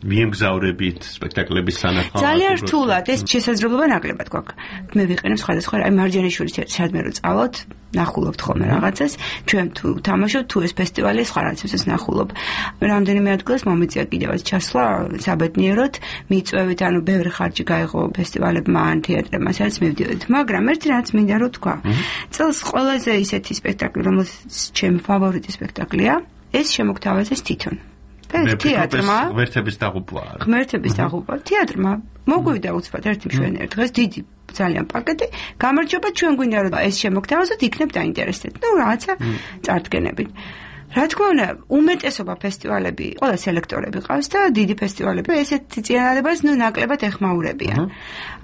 მიემგზავრებით სპექტაკლების სანახავად? ძალიან რთულად, ეს შესაძლებლობა ნაკლებად გვაქვს. მე ვიყენებ სხვადასხვა აი მარჯანიშვილის სადმე რო წავოთ, ნახულობთ ხოლმე რაღაცას, ჩვენ თუ თამაშობთ, თუ ეს ფესტივალი სხვა რაღაცებს ნახულობ. რამდენიმე ადგილას მომიწია კიდევაც ჩასვლა საბედნიეროდ, მიწვევით, ანუ ბევრი ხარჯი გაიღო ფესტივალებმა ან თეატრებმა, სადაც მივდივართ. მაგრამ ერთი რაც მინდა რომ თქვა, წელს ყველაზე ისეთი სპექტაკლი, რომელიც ჩემი ფავორიტი სპექტაკლია, ეს შემოგთავაზეს თვითონ. თეატრმა ღმერთების დაღუპვა. ღმერთების დაღუპვა. თეატრმა მოგვივიდა უცბად ერთი მშვენიერი დღეს დიდი ძალიან პაკეტი. გამარჯობა, ჩვენ გვინდა რომ ეს შემოგთავაზოთ, იქნებ დაინტერესდეთ. ნუ რაღაცა წარდგენებით. რა თქმა უნდა, უმეტესობა ფესტივალები, ყველა სელექტორები ყავს და დიდი ფესტივალები ესეთი წინადადებას ნუ ნაკლებად ეხმაურებიან.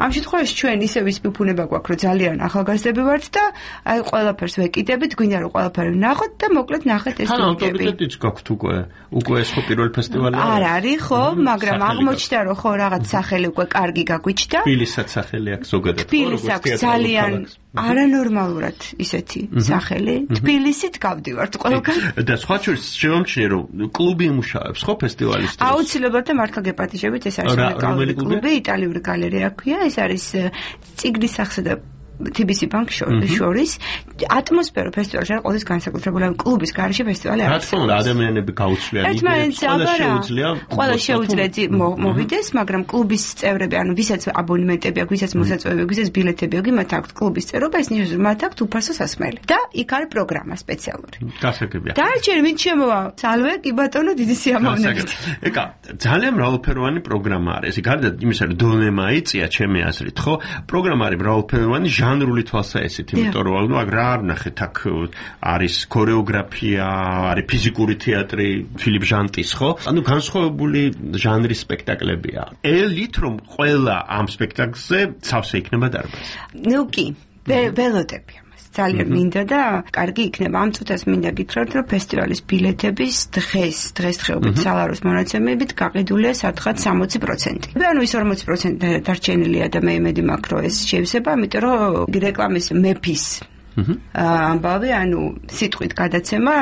ამ შემთხვევაში ჩვენ ისევ ის ფუფუნება გვაქვს, რომ ძალიან ახალგაზრდები ვართ და აი ყველაფერს ვეკიდებით, გვინდა რომ ყველაფერი ვნახოთ და მოკლედ ნახეთ ეს ფილმები. ავტორიტეტიც გაქვთ უკვე. უკვე ეს ხო პირველი ფესტივალი არის. არ არის ხო, მაგრამ აღმოჩნდა რომ ხო რაღაც სახელი უკვე კარგი გაგვიჩნდა. თბილისსაც სახელი აქვს ზოგადად. თბილისს აქვს ძალიან არანორმალურად ისეთი სახელი. თბილისით გავდივართ ყველგან. და სხვა შორის შემომჩნია რომ კლუბი იმუშავებს ხო ფესტივალის დროს? აუცილებლად და მართლა გეპატიჟებით, ეს არის უნიკალური კლუბი, იტალიური გალერეა ქვია, ეს არის წიგნის სახსა და თი ბი სი ბანკ შორის ატმოსფერო ფესტივალში არის ყოველთვის განსაკუთრებული, ან კლუბის გარეშე ფესტივალი არის. რა თქმა უნდა, ადამიანები გაუცვლიან იდეებს, ყველა შეუძლია. ყველა შეუძლია მოვიდეს, მაგრამ კლუბის წევრები, ანუ ვისაც აბონემენტები აქვს, ვისაც მოსაწვევები აქვს, ვისაც ბილეთები აქვს, მათ აქვს კლუბის წევრობა, ეს ნიშნავს, რომ მათ აქვს უფასო სასმელი. და იქ არის პროგრამა სპეციალური. გასაგებია. დარჩენ ვინ შემოვა? სალვე, კი ბატონო, დიდი სიამოვნებით. ეკა, ძალიან მრავალფეროვანი პროგრამა არის. გარდა იმისა, რომ დონემა იწია ჩემი აზრით, ხო? პროგრამა არის მრავალფეროვანი, ჟანრული თვალსაჩინით, იმიტომ რომ ნუ აგ რა არ ნახეთ, აქ არის ქორეოგრაფია, არის ფიზიკური თეატრი, ფილიპ ჟანტის, ხო? ანუ განსხვავებული ჟანრის სპექტაკლებია. ელით რომ ყველა ამ სპექტაკლზე ცავსე იქნება დარბაზი. ნუ კი, ველოდები. ძალიან მინდა და კარგი იქნება. ამ წუთას მინდა გითხრათ, რომ ფესტივალის ბილეთების დღეს, დღესდღეობით სალაროს მონაცემებით გაყიდულია სათხად სამოცი პროცენტი. ანუ ის ორმოცი პროცენტი დარჩენილია და მე იმედი მაქვს, რომ ეს შევსება, ამიტომ რომ რეკლამის მეფის ამბავი, ანუ სიტყვით გადაცემა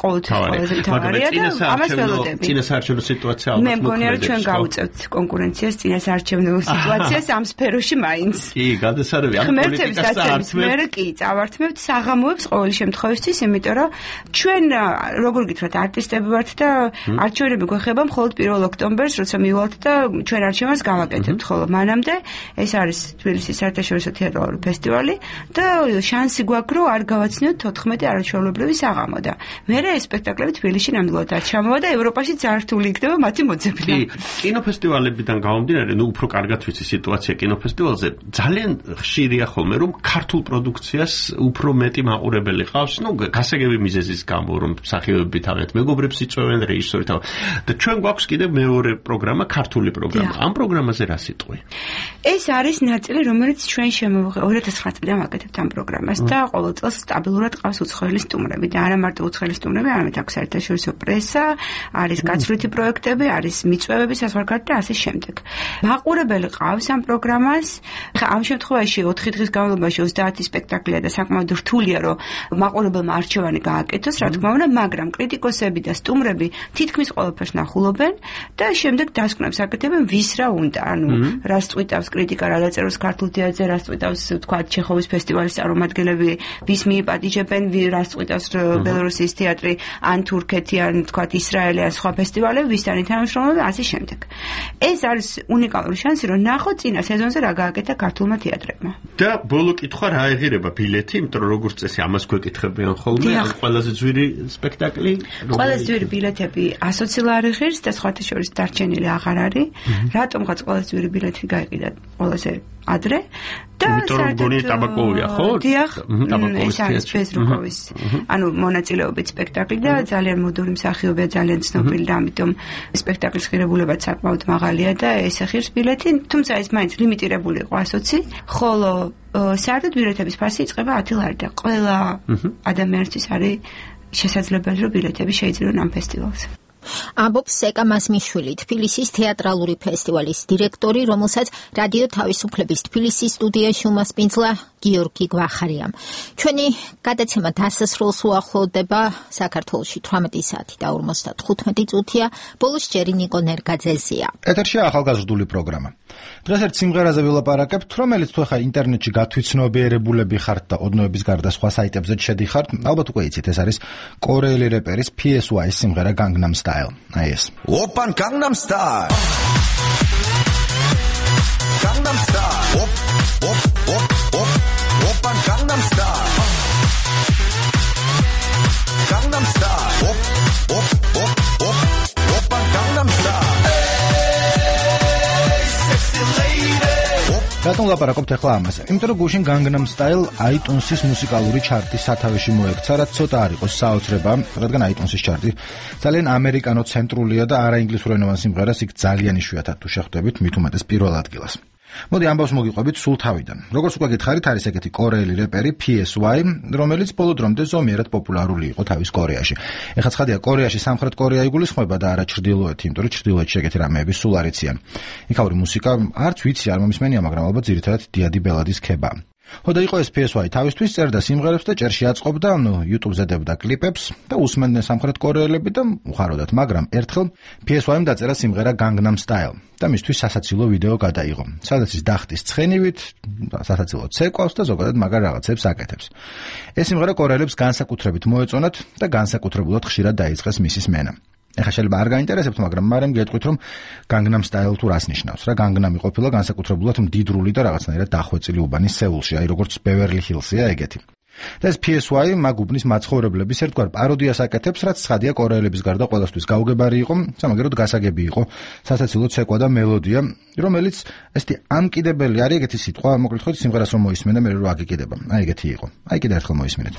ყოველთვის ყველაზე მთავარია და ამას ველოდები. წინასაარჩევნო სიტუაცია ალბათ მე მგონია რომ ჩვენ გავუწევთ კონკურენციას წინასაარჩევნო სიტუაციას ამ სფეროში მაინც. კი, გადასარევი ამ პოლიტიკას წავართმევთ. მე კი წავართმევთ საღამოებს ყოველი შემთხვევისთვის, იმიტომ რომ ჩვენ როგორ გითხრათ არტისტები ვართ და არჩევნები გვეხება მხოლოდ პირველ ოქტომბერს, როცა მივალთ და ჩვენ არჩევანს გავაკეთებთ, ხოლო მანამდე ეს არის თბილისის საერთაშორისო თეატრალური ფესტივალი და შანსი გვაქვს რომ არ გავაცნიოთ თოთხმეტი არაჩვეულებრივი საღამო და მე ეს სპექტაკლები თბილისში ნამდვილად არ ჩამოვა და ევროპაში ძართული იქნება მათი მოძებნა. კი, კინოფესტივალებიდან გამომდინარე, ნუ უფრო კარგად ვიცი სიტუაცია კინოფესტივალზე, ძალიან ხშირია ხოლმე რომ ქართულ პროდუქციას უფრო მეტი მაყურებელი ყავს, ნუ გასაგები მიზეზის გამო, რომ მსახიობები თავიანთ მეგობრებს იწვევენ, რეჟისორი თავ. და ჩვენ გვაქვს კიდევ მეორე პროგრამა, ქართული პროგრამა. ამ პროგრამაზე რა სიტყვი? ეს არის ნაწილი, რომელიც ჩვენ შემოვიღე ორი ათას ცხრა წლიდან ვაკეთებთ ამ პროგრამას და ყოველ წელს სტაბილურად ყავს უცხოელი სტუმრები და არა მარტო უცხოელი სტუმრები, არამედ აქვს საერთაშორისო პრესა, არის გაცვლითი პროექტები, არის მიწვევები საზღვარგარეთ და ასე შემდეგ. მაყურებელი ყავს ამ პროგრამას. ხა ამ შემთხვევაში ოთხი დღის განმავლობაში ოცდაათი სპექტაკლია და საკმაოდ რთულია, რომ მაყურებელმა არჩევანი გააკეთოს, რა თქმა უნდა, მაგრამ კრიტიკოსები და სტუმრები თითქმის ყველაფერს ნახულობენ და შემდეგ დასკვნებს აკეთებენ ვის რა უნდა, ანუ რას წვიტავს კრიტიკა, რა დაწეროს ქართულ თეატრზე, რას წვიტავს თქვა ჩეხოვის ფესტივალის წარმომადგენლები, ვის მიიპატიჟებენ, რას წვიტავს ბელორუსიის თეატრი, ან თურქეთი, ან თქვა ისრაელი, ან სხვა ფესტივალები, ვისთან თანამშრომლობენ, ასე შემდეგ. ეს არის უნიკალური შანსი, რომ ნახოთ წინა სეზონზე რა გააკეთა ქართულმა თეატრებმა. და ბოლო კითხვა რა ეღირება ბილეთი, იმიტომ რომ როგორც წესი ამას გვეკითხებიან ხოლმე, ყველაზე ძვირი სპექტაკლი. ყველაზე ძვირი ბილეთები ასოცი ლარი ღირს და სხვათა შორის დარჩენილი აღარ არის. რატომღაც ყველაზე ძვირი ბილეთი გაიყიდა ყველაზე ადრე და საერთოდ ტაბაკოვია ხო? დიახ, ეს არის ბეზრუკოვის. ანუ მონაწილეობით სპექტაკლი და ძალიან მოდური მსახიობია, ძალიან ცნობილი და ამიტომ სპექტაკლის ღირებულებაც საკმაოდ მაღალია და ესე ღირს ბილეთი, თუმცა ეს მაინც ლიმიტირებული იყო ასოცი, ხოლო საერთოდ ბილეთების ფასი იწყება ათი ლარი და ყველა ადამიანისთვის არის შესაძლებელი რომ ბილეთები შეიძინონ ამ ფესტივალზე. ამბობს სეკა მასმიშვილი, თბილისის თეატრალური ფესტივალის დირექტორი, რომელსაც რადიო თავისუფლების თბილისის სტუდიაში უმასპინძლა გიორგი გვახარიამ. ჩვენი გადაცემა დასასრულს უახლოვდება, საქართველოში თვრამეტი საათი და ორმოცდათხუთმეტი წუთია, ბოლოს ჯერი ნიკო ნერგაძეზია. ეთერშია ახალგაზრდული პროგრამა. დღეს ერთ სიმღერაზე ვილაპარაკებთ, რომელიც თუ ახლა ინტერნეტში გათვითცნობიერებულები ხართ და ოდნოების გარდა სხვა საიტებზე შედიხართ, ალბათ უკვე იცით, ეს არის კორეელი რეპერის P S Y-ის სიმღერა Gangnam Style. აი ეს. Open Gangnam Style. Gangnam Style. Op op op op. Open Gangnam Style. Gangnam Style. Op op op op. Open Gangnam Style. რატომ ლაპარაკობთ ახლა ამაზე? იმიტომ რომ გუშინ Gangnam Style iTunes-ის მუსიკალური ჩარტის სათავეში მოექცა, რაც ცოტა არ იყოს საოცრება, რადგან iTunes-ის ჩარტი ძალიან ამერიკანო-ცენტრულია და არაინგლისურენოვან სიმღერას იქ ძალიან იშვიათად თუ შეხვდებით, მით უმეტეს პირველ ადგილას. მოდი ამბავს მოგიყვებით სულ თავიდან. როგორც უკვე გითხარით, არის ეგეთი კორეელი რეპერი P S Y, რომელიც ბოლო დრომდე ზომიერად პოპულარული იყო თავის კორეაში. ეხლა ცხადია, კორეაში სამხრეთ კორეა იგულისხმება და არა ჩრდილოეთი, იმიტომ რომ ჩრდილოეთში ეგეთი რამეები სულ არ იციან. იქაური მუსიკა არც ვიცი არ მომისმენია, მაგრამ ალბათ ძირითადად დიადი ბელადის ქება. ხო და იყო ეს P S Y თავისთვის წერდა სიმღერებს და ჭერში აწყობდა, ნუ YouTube-ზე დებდა კლიპებს და უსმენდნენ სამხრეთ კორეელები და უხაროდათ, მაგრამ ერთხელ P S Y-მ დაწერა სიმღერა Gangnam Style და მისთვის სასაცილო ვიდეო გადაიღო. სადაც ის დახტის ცხენივით, სასაცილო ცეკვავს და ზოგადად მაგარ რაღაცებს აკეთებს. ეს სიმღერა კორეელებს განსაკუთრებით მოეწონათ და განსაკუთრებულად ხშირად დაიწყეს მისის მენა. ეხლა შეიძლება არ გაინტერესებთ, მაგრამ მარემ გეტყვით, რომ Gangnam Style თუ რას ნიშნავს. რა Gangnam ყოფილა განსაკუთრებულად მდიდრული და რაღაცნაირად დახვეწილი უბანი სეულში, აი როგორც Beverly Hills-ია ეგეთი. და ეს P S Y მაგ უბნის მაცხოვრებლების ერთგვარ პაროდიას აკეთებს, რაც ცხადია კორეელების გარდა ყველასთვის გაუგებარი იყო, სამაგეროდ გასაგები იყო, სასაცილო ცეკვა და მელოდია, რომელიც ესეთი ამკიდებელი არის ეგეთი სიტყვა, მოკლედ ხო სიმღერას რომ მოისმენდა, მე რო აგიკიდება. აი ეგეთი იყო. აი კიდე ერთხელ მოისმინეთ.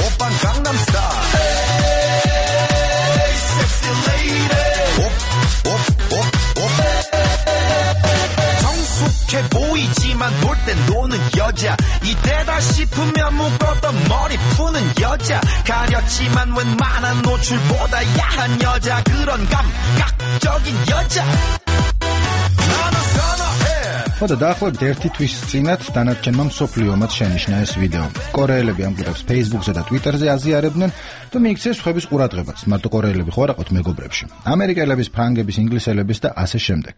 Open Gangnam Style. Hey, sexy lady. Op, op, op, op. 성숙해 보이지만 놀 땐 노는 여자. 이때다 싶으면 묶었던 머리 푸는 여자. 가렸지만 웬만한 노출보다 야한 여자. 그런 감각적인 여자. 나는 선호해. ხო და დაახლოებით ერთი თვის წინათ დანარჩენმა მსოფლიომაც შენიშნა ეს ვიდეო. კორეელები ამ გვერდს Facebook-ზე და Twitter-ზე აზიარებდნენ და მიიქცეს სხვების ყურადღებაც. მარტო კორეელები ხო არ აყოთ მეგობრებში. ამერიკელების, ფრანგების, ინგლისელების და ასე შემდეგ.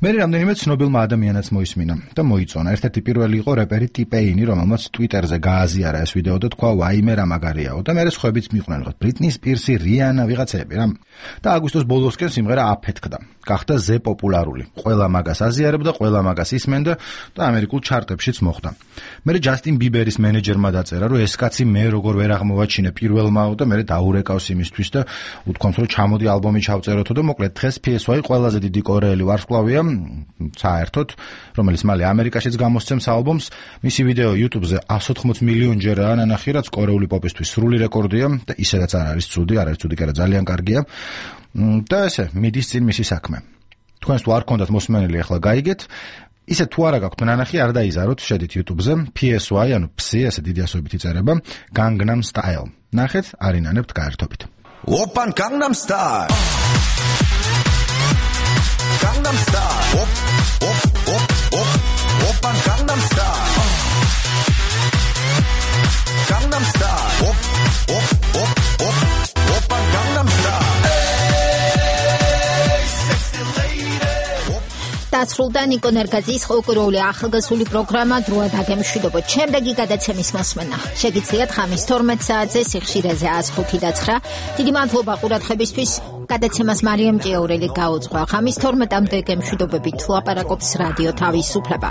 მე რამდენიმე ცნობილმა ადამიანაც მოისმინა და მოიწონა. ერთ-ერთი პირველი იყო რეპერი ტიპეინი, რომელმაც Twitter-ზე გააზიარა ეს ვიდეო და თქვა ვაიმე რა მაგარიაო და მე სხვებიც მიყვნენ, ხო ბრიტნი სპირსი, რიანა ვიღაცები რა. და აგვისტოს ბოლოსკენ სიმღერა აფეთქდა. გახდა ზე პოპულარული. ყველა მაგას აზიარებდა, ყველა მაგას ისმენდა და ამერიკულ ჩარტებშიც მოხვდა. მე ჯასტინ ბიბერის მენეჯერმა დაწერა, რომ ეს კაცი მე როგორ ვერ აღმოვაჩინე პირველმაო და მე დაურეკავს იმისთვის და უთქვამს, რომ ჩამოდი ალბომი ჩავწეროთო და მოკლედ დღეს P S Y ყველაზე დიდი კორეელი ვარსკვლავია საერთოდ, რომელიც მალე ამერიკაშიც გამოსცემს ალბომს. მისი ვიდეო YouTube-ზე εκατს ოთხმოც მილიონჯერაა ნანახი, რაც კორეული პოპისთვის სრული რეკორდია და ისედაც არ არის ცუდი, არ არის ცუდი, კი არა ძალიან კარგია. და ესე მიდის წინ მისი საქმე. თქვენს თუ არ გქონდათ მოსმენელი, ახლა გაიგეთ. ისე თუ არა გაქვთ ნანახი, არ დაიზაროთ, შედით YouTube-ზე P S Y, ანუ Psy, ესე დიდი ასოებით იწერება, Gangnam Style. ნახეთ, არინანებთ გაერთობით. 오빤 강남 스타일 강남 스타일 옵옵옵옵 오빤 강남 스타일 강남 스타일 옵옵옵옵 오빤 강남 스타일 დასრულდა ნიკო ნერგაძის ხალხური ახალგაზრდული პროგრამა დროა დაგემშვიდობოთ. შემდეგი გადაცემის მოსმენა შეგიძლიათ ხამის თორმეტ საათზე სიხშირეზე εκას ხუთი და ცხრა. დიდი მადლობა ყურადღებისთვის. გადაცემას მარიამ ჭიაურელი გაუძღვა. ხამის თორმეტამდე გემშვიდობებით ლაპარაკობს რადიო თავისუფლება.